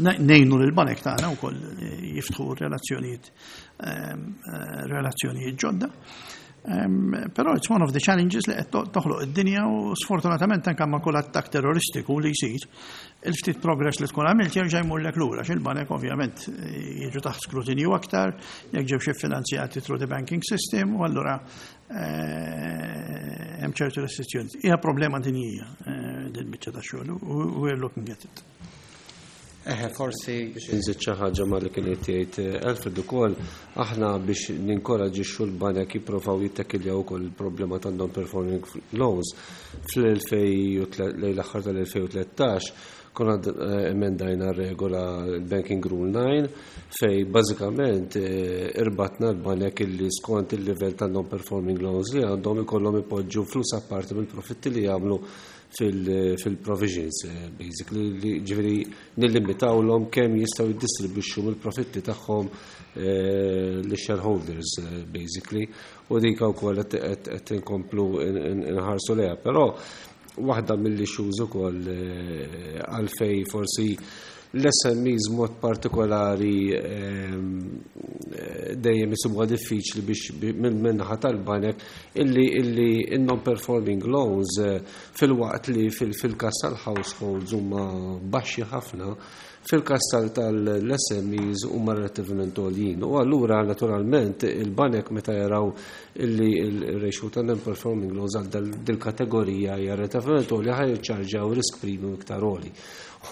ngħinu lil banek tagħna wkoll jiftħu relazzjonijiet ġodda. Però it's one of the challenges li qed toħloq id-dinja u sfortunatament anke ma' kull attakk terroristiku li jsir, il-ftit progress li tkun għamilt jerġa' jmurlek lura, x'il-banek ovvjament jiġu taħt skrutinju aktar, jekk ġew xi finanzjati through the banking system, u allura hemm ċertu restrizzjoni. Hija problema dinjija din biċċa ta' xogħol u we're looking at it. Eħe, forsi biex inżid xi ħaġa ma li kien qed jgħid Alfred ukoll, aħna biex ninkoraġixxu l-banek jipprovaw jittakiljaw ukoll il-problema ta' non-performing loans. Fl-2000 lejn l-aħħar tal-2013 konna emendajna r-regola l-Banking Rule 9 fej bażikament irbatna l-banek illi skont il-livell ta' non-performing loans li għandhom ikollhom ipoġġu flus apparti mill-profitti li jagħmlu fil-provisions, basically, li ġifieri nillimitawlhom kemm jistgħu jiddistribwixxu mill-profitti tagħhom lix-shareholders, basically, u dik wkoll qed inkomplu nħarsu lejha. Però waħda mill-issues ukoll għalfej forsi l-SMEs mod partikolari dejjem isibuha diffiċli biex minn naħa tal-banek illi non-performing loans, filwaqt li fil-kas tal-households huma baxxi ħafna, fil-kas tal-SMEs huma relattivament għoljin. U allura naturalment il-banek meta jaraw illi il-ratio ta' non-performing loans għal dil-kategorija hija relattivament għolja, ħa jiċċarġaw risk premium iktar għoli.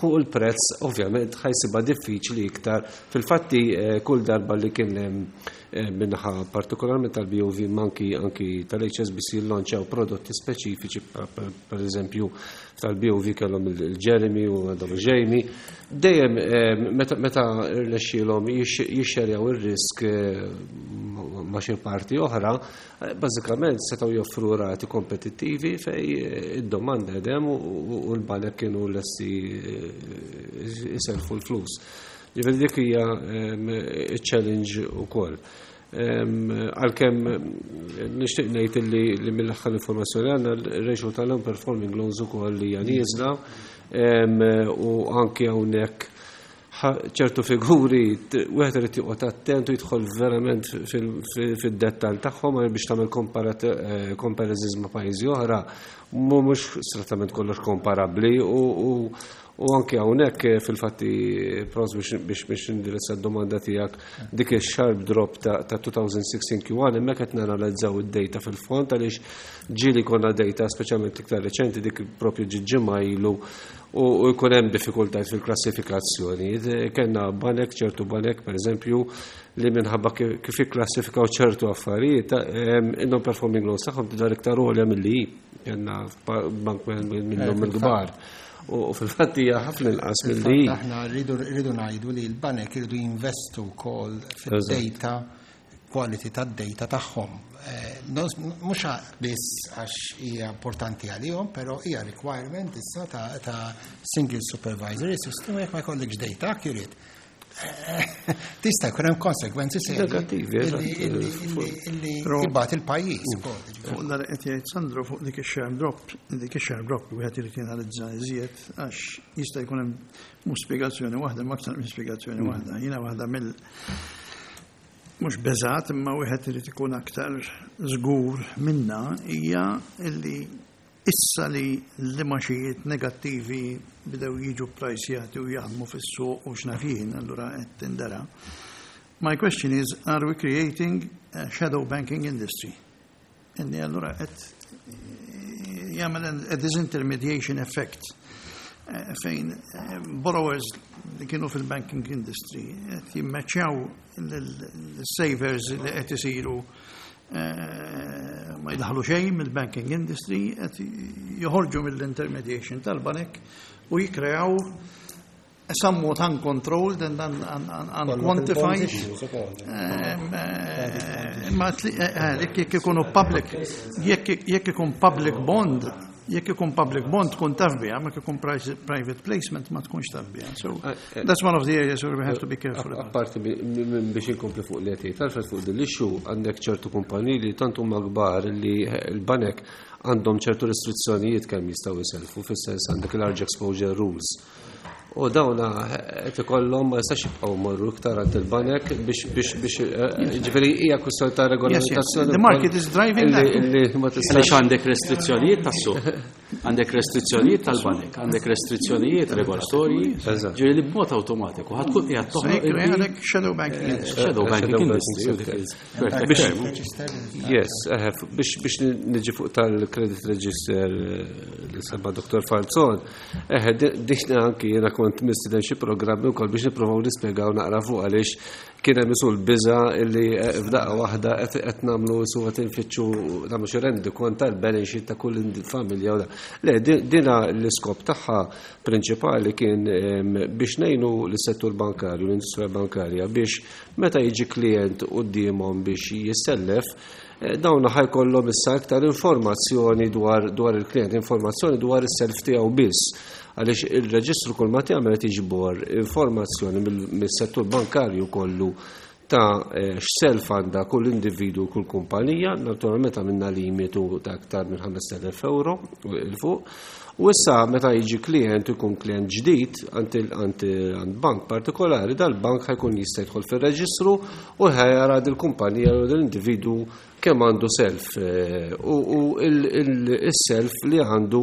U l-prezz ovvjament ħa jsibha diffiċli iktar. Fil-fatti kull darba li kien hemm min-naħa partikolarment tal-BOV, anki tal-HSBC launchaw prodotti speċifiċi, per eżempju tal-BOV kellhom il-Jeremy u għandhom il-Jamie, dejjem meta rnexxielhom jixxerjaw ir-risk ma' xi parti oħra, bażikament setgħu joffru rati kompetittivi fej id-domanda hemm u l-banek kienu lesti jiselfu l-flus. Ġifieri dik hija challenge ukoll. Għalkemm nixtieq ngħid li mill-aħħar informazzjoni għandna, il-ratio tal-non-performing loans ukoll li hija nieżla u anke hawnhekk ċertu figuri wieħed irid joqgħod attent u jidħol verament fid-dettall tagħhom biex tagħmel comparisons ma' pajjiżi oħra, mhux strettament kollox komparabbli u anke hawnhekk fil-fatti pros biex indirizza d-domanda tiegħek, dik il-sharp drop ta' 2016 Q1, hemmhekk qed nanalizzaw id-data fil-fond għaliex ġieli konna data speċjalment iktar reċenti, dik propju ġimgħa ilu, u jkun hemm diffikultajiet fil-klassifikazzjoni. Kellna banek, ċertu banek per eżempju, li minħabba kif jikklassifikaw ċertu affarijiet, non-performing loans tagħhom tidher iktar għolja milli hi. Kellna bank minnhom il-kbar. U fil-fatt hija ħafna inqas milli hi. Aħna rridu ngħidu li l-banek irridu jinvestu wkoll fid-data, quality tad-data tagħhom. Mhux biss għax hija importanti għalihom, però hija requirement issa ta' single supervisory system, jekk ma jkollekx data accurate, tista' jkun hemm konsekwenzi serji Negattivi, eżatt. illi jibgħat il-pajjiż ukoll, ġifieri. Fuq dak qed jgħid Sandro fuq dik ix-sharp drop, dik ix-sharp drop wieħed irid jenalizza iżjed għax jista' jkun hemm mhux spjegazzjoni waħda, ma aktar minn spjegazzjoni waħda. Jiena waħda mill mhux beżat imma wieħed irid ikun aktar żgur minna hija illi issa li l-imgħaxijiet negattivi bdew jiġu prajsjati u jaħdmu fis-suq u x'naf jien, allura qed tindara. My question is, are we creating a shadow banking industry? Inni allura qed jagħmel a disintermediation effect fejn borrowers li kienu fil-banking industry qed jimmeċċjaw l-savers li qed isiru ma jdaħlu xejn mill-banking industry, qed joħorġu mill-intermediation tal-banek u jikreaw somewhat uncontrolled and unquantified. Ma jekk ikunu public, jekk ikun public bond, jekk ikun public bond tkun taf biha, ma ikun private placement ma tkunx taf biha. So that's one of the areas where we have to be careful about. Apparti minn biex inkompli fuq li qed Alfred fuq din l-issue, għandek ċertu kumpaniji li tant huma kbar li l-banek għandhom ċertu restrizzjonijiet kemm jistgħu jiselfu, fis-sens għandek large exposure rules. U dawna qed ikollhom ma jistax jibqgħu morru iktar għand il-banek biex biex biex ġifieri hija kwistjoni ta' regolamentazzjoni. The market is driving that. Li ma tistax. Għaliex għandek restrizzjonijiet tas-suq, għandek restrizzjonijiet tal-banek, għandek restrizzjonijiet regolatorji, ġifieri li b'mod awtomatiku ħa tkun qiegħed toħloq għandek shadow banking industry. Shadow banking industry. Yes, biex biex niġi fuq tal-credit register li semma Dr. Falzon, Eħe, diħna anki jiena kont mistieden xi programmi wkoll biex nippruvaw nispjegaw naqra fuq għaliex kien hemm isu l-biża illi eh, f'daqqa waħda qed nagħmlu isu qed infittxu nagħmlu xi rendikont tal-balance sheet ta' kull familja. Le, dina l-iskop tagħha prinċipali kien biex ngħinu lis-settur bankarju, l-industrija bankarja biex meta jiġi klient quddiemhom biex jissellef, Eh, dawn ħa jkollhom issa iktar informazzjoni dwar, dwar il-klient, informazzjoni dwar is-self tiegħu biss. Għaliex il-reġistru kull ma tagħmel qed jiġbor informazzjoni mill-settur bankarju kollu ta' eh, x'self għandha kull individu kull kumpanija, naturalment għamilna limitu ta' aktar minn 5,000 euro il fuq. U issa meta jiġi klient ikun klient ġdid għand bank partikolari, dal-bank ħa jkun jista' jidħol fir-reġistru u ħa jara dil-kumpanija jew dil-individwu kemm għandu self eh, u il-self li għandu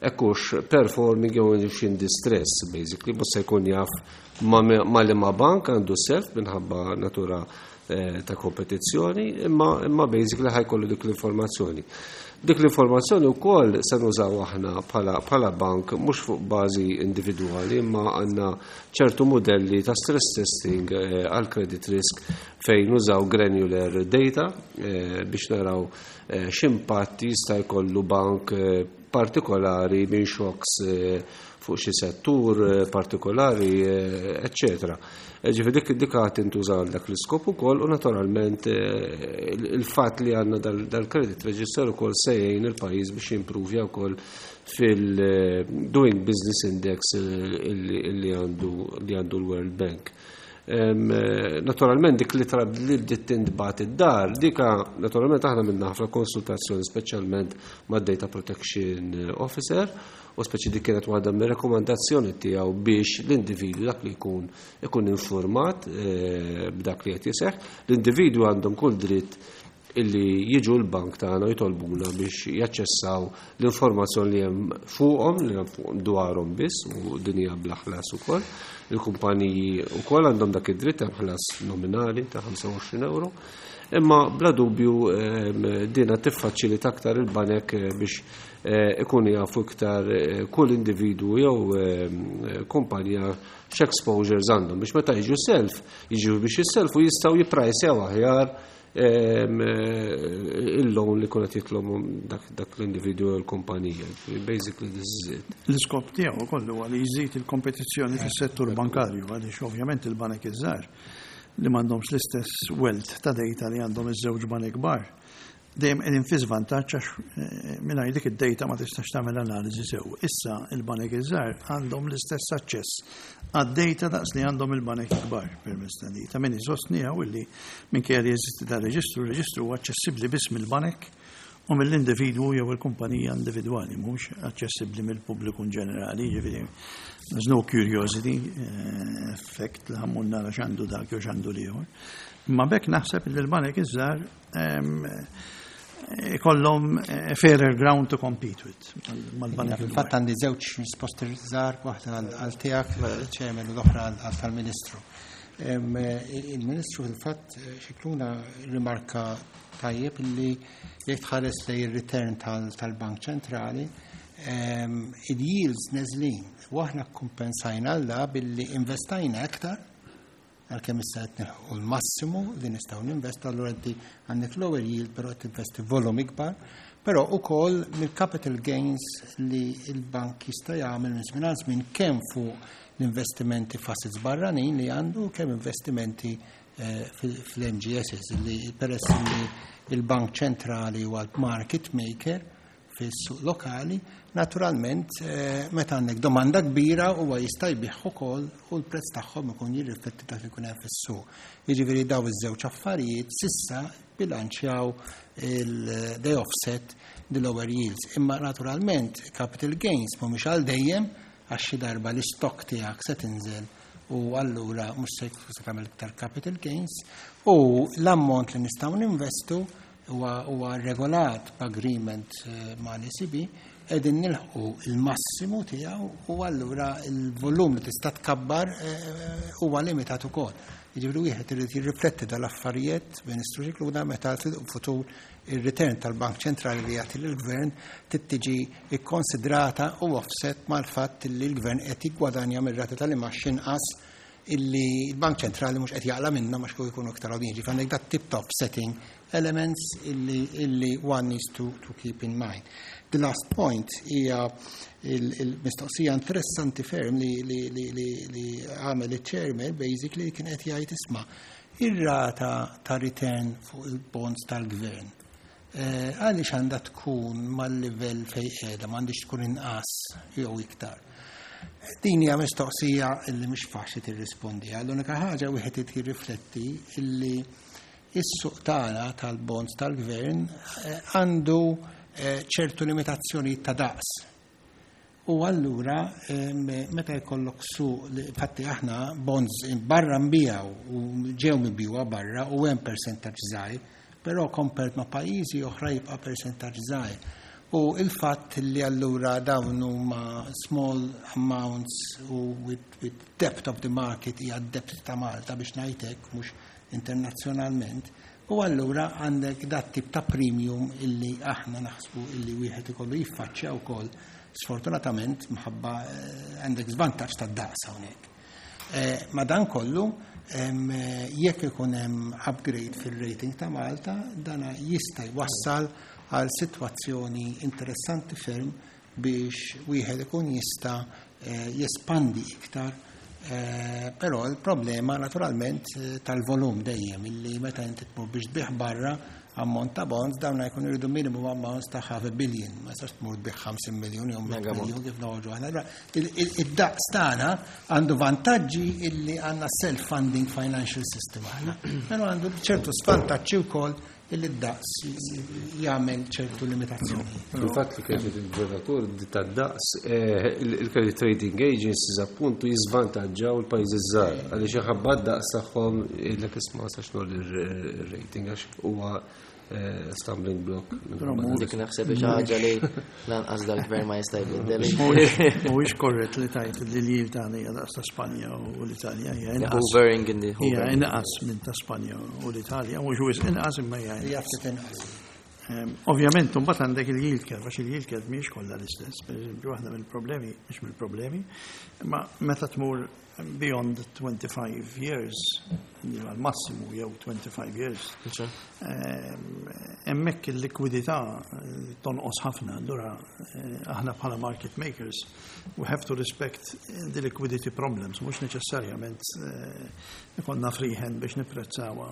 ekkux performing jew in distress basically, mhux se jkun jaf ma li ma bank għandu self minħabba natura eh, ta' kompetizzjoni, imma imma basically ħa jkollu dik l-informazzjoni. Dik l-informazzjoni wkoll se nużaw aħna bħala bank mhux fuq bażi individwali imma għandna ċertu modelli ta' stress testing eh, għal credit risk fejn nużaw granular data eh, biex naraw x'impatt jista' jkollu bank partikolari minn shocks fuq xi settur partikolari, eccetera. Ġifieri dik dik għad tintuża għal dak l-iskop ukoll u naturalment il-fatt li għandna dal-credit register ukoll se jgħin il-pajjiż biex jimpruvja wkoll fil-Doing Business Index li għandu li għandu l-World Bank. Naturalment dik li trab li bdiet tintbagħat id-dar, dika naturalment aħna minna ħafna konsultazzjoni speċjalment mad-Data Protection Officer u speċi dik kienet waħda mir-rekomandazzjoni tiegħu biex l-individwu dak li jkun ikun informat eh, b'dak li qed jiseħħ. L-individwu għandhom kull dritt illi jiġu l-bank tagħna jitolbuna biex jaċċessaw l-informazzjoni li hemm fuqhom, li hemm fuqhom dwarhom biss u din hija bla ħlas ukoll. Il-kumpaniji wkoll għandhom dak id-dritt hemm ħlas nominali ta' 25 euro. Imma bla dubju ehm, dina tiffaċilita aktar il-banek eh, biex eh, ikunu jafu iktar eh, kull individwu jew ehm, kumpanija x'exposures għandhom biex meta jiġu self, jiġu biex jisselfu jistgħu jipprajsew aħjar ehm, il-loan li kunet jitlobhom dak l-individwu jew l-kumpanija. Basically this is it. L-iskop tiegħu ukoll huwa li jżid il-kompetizzjoni fis-settur bankarju għaliex ovvjament il-banek iż-żgħar li m'għandhomx l-istess wealth ta' data li għandhom iż-żewġ banek kbar dejjem qegħdin fi żvantaġġ għax eh, mingħajr dik id-data ma tistax tagħmel analiżi sew. Issa il-banek iż-żgħar għandhom l-istess aċċess għad-data daqs li għandhom il-banek kbar permezz ta' data. Min isostni hawn illi minkejja li jeżisti ta' reġistru, reġistru huwa aċċessibbli biss mill-banek u mill-individwu jew il-kumpanija individwali, mhux aċċessibbli mill-pubbliku in ġenerali, ġifieri there's no curiosity eh, effect li ħa mmur nara x'għandu dak jew x'għandu l-ieħor. Imma bekk naħseb li l-banek iż-żgħar ikollhom eh, fairer ground to compete with mal-banek. Fil-fatt għandi żewġ risposti żgħar, waħda għal tiegħek, chairman, u l-oħra għal tal-Ministru. Il-Ministru fil-fatt eh, Scicluna rimarka tajjeb li jekk tħares lejn ir-return tal-Bank Ċentrali, il-yields neżlin u aħna kompensajna għal da billi investajna aktar għalkemm issa qed nilħqu l-massimu li nistgħu ninvestu, allura inti għandek lower yield però qed tinvesti volum ikbar, però ukoll mill-capital gains li l-bank jista' jagħmel minn żmien għal żmien kemm fuq l-investimenti f'assets barranin li għandu kemm investimenti eh, fil-MGSs li peress li il-Bank Ċentrali huwa l-market maker fis-suq lokali, naturalment eh, meta għandek domanda kbira huwa jista' jbigħ ukoll u l-prezz tagħhom ikun jirrifletti dak li jkun hemm fis-suq. Jiġifieri daw iż-żewġ affarijiet s'issa bilanċjaw il-they offset the lower yields. Imma naturalment capital gains mhumiex għal dejjem. għax xi darba l-istock tiegħek se tinżel u allura mhux se se tagħmel iktar capital gains u l-ammont li nistgħu ninvestu huwa regolat b'agreement mal-ECB, qegħdin nilħqu il-massimu tiegħu u allura il-volum li tista' tkabbar huwa limitat ukoll. Jiġifieri wieħed irid jirrifletti dal-affarijiet, Ministru Scicluna, meta fil-futur ir-return tal-Bank Ċentrali li jagħti lill-Gvern trid tiġi kkonsidrata u offset mal-fatt li l-Gvern qed jiggwadanja mir-rati tal-imgħax inqas illi l-Bank Ċentrali mhux qed jaqla' minnhom għax kieku jkunu iktar għoljin. Ġifieri għandek dat tip ta' offsetting elements illi one needs to keep in mind. The last point hija il-mistoqsija interessanti ferm li għamel il-chairman, basically kien qed jgħid, isma', ir-rata ta' return fuq il-bonds tal-gvern għaliex għandha tkun mal-livell fej qiegħda, m'għandix tkun inqas jew iktar? Din hija mistoqsija illi mhix faċli tirrispondi. L-unika ħaġa wieħed irid jirrifletti illi is-suq tagħna tal-bonds tal-gvern għandu ċertu limitazzjoni ta' daqs. U allura meta jkollok suq, infatti aħna bonds barra nbijaw u ġew mibjuwa barra u hemm percentaġġ żgħir, però compared ma' pajjiżi oħra jibqa' percentaġġ żgħir. U il-fatt li allura dawn huma small amounts u with depth of the market hija depth ta' Malta biex ngħidlek, mhux internazzjonalment, u allura għandek dat tip ta' premium illi aħna naħsbu illi wieħed ikollu jiffaċċja wkoll, sfortunatament mħabba għandek żvantaġġ ta' daqs hawnhekk. Ma dan kollu, jekk ikun hemm upgrade fil-rating ta' Malta, dana jista' jwassal għal sitwazzjoni interessanti ferm biex wieħed ikun jista' jespandi iktar. Però il-problema naturalment tal-volum dejjem illi meta inti tmur biex tbigħ barra ammont ta' bonds, dawn jkunu jridu minimum amounts ta' half a billion, ma jistax tmur tbigħ 50 miljon jew 100 miljon kif noħorġu aħna. Allura, id-daqs tagħna għandu vantaġġi illi għandna self-funding financial system aħna, però għandu ċertu svantaġġi wkoll illi d-daqs jagħmel ċertu limitazzjoni. Il-fatt li kienet il-gvernatur tad-daqs, il-credit rating agencies appuntu jiżvantaġġaw il-pajjiżi żgħar għaliex iħabba d-daqs tagħhom jgħidlek, isma', sax nol ir-rating għax huwa stumbling block. Dik naħseb xi ħaġa li lanqas dal-gvern ma jista' jbiddel. Mhuwiex korrett li tajt li l-yield tagħna hija daqs ta' Spanja u l-Italja, hija inqas. Hovering in the Hija inqas minn ta' Spanja u l-Italja, mhux wisq inqas imma hija Hija ftit inqas. Ovvjament, mbagħad għandek il-yield curve, għax il-yield curve mhijiex kollha l-istess. Per eżempju, waħda mill-problemi, mhux mill-problemi, ma meta tmur beyond 25 years, għal massimu jew 25 years, hemmhekk il-likwidità tonqos ħafna, allura aħna bħala market makers, we have to respect the liquidity problems, mhux neċessarjament ikollna free hand biex nipprezzawha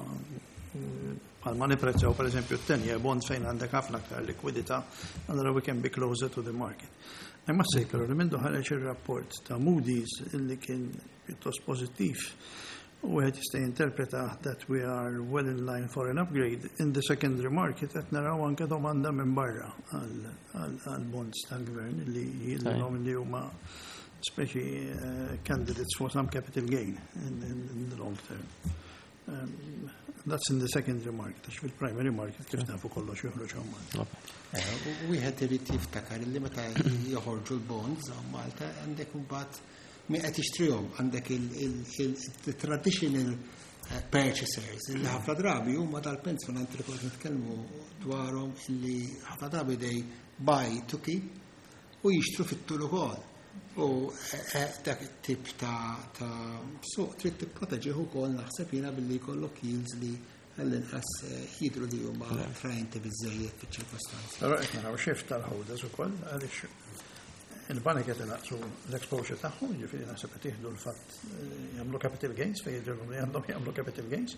bħalma nipprezzaw per eżempju t-10-year bond fejn għandek ħafna aktar likwidità, allura we can be closer to the market. Imma sej però li mindu ħareġ ir-rapport ta' Moody's illi kien pjuttost pożittiv u wieħed jista' jinterpreta that we are well in line for an upgrade in the secondary market, qed naraw anke domanda minn barra għal bonds tal-gvern li jidhirlhom li huma speċi candidates for some capital gain in the long term. That's in the secondary market, għax fil-primary market kif nafu kollox joħroġ hawn Malta. U wieħed irid jiftakar li meta joħorġu l-bonds hawn Malta għandek imbagħad min qed jixtrihom, għandek il-traditional purchasers li ħafna drabi huma dal-pensjonanti li kont nitkellmu dwarhom, illi ħafna drabi they buy to keep u jixtru fit-tul ukoll. U dak it-tip ta' suq trid tipproteġih ukoll, naħseb jiena, billi jkollok yields li għall-inqas jidru li huma attraenti biżejjed fiċ-ċirkostanzi. Però qed naraw shift tal-holders ukoll għaliex il-banek qed inaqqsu l-exposure tagħhom, jiġifieri naħseb qed jieħdu l-fatt jagħmlu capital gains fejn jidhirlhom li għandhom jagħmlu capital gains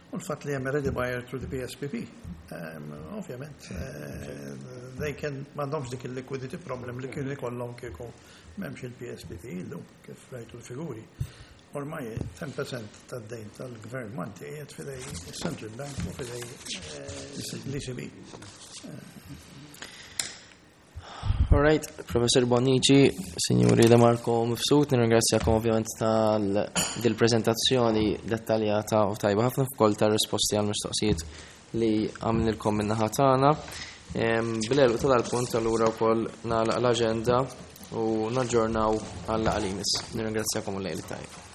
u l-fatt li hemm ready buyer through the PSPP. Ovvjament, they can m'għandhomx dik il-liquidity problem li kienu jkollhom kieku m'hemmx il-PSPP illum, kif rajtu l-figuri. Ormai 10% tad-dejn tal-gvern Malti qiegħed f'idej il-Central Bank u f'idej l-ECB. All right, Professor Bonnici, Signori De Marco Mifsud, nirringrazzjakom ovvjament tal dil-prezentazzjoni dettaljata u tajba ħafna f'kol tar-risposti għal mistoqsijiet li għamlilkom min-naħa tagħna. Bil-għeluq ta' dal-punt allura wkoll nagħlaq l-aġenda u naġġornaw għal laqgħa li jmiss. Nirringrazzjakom u lejl tajjeb.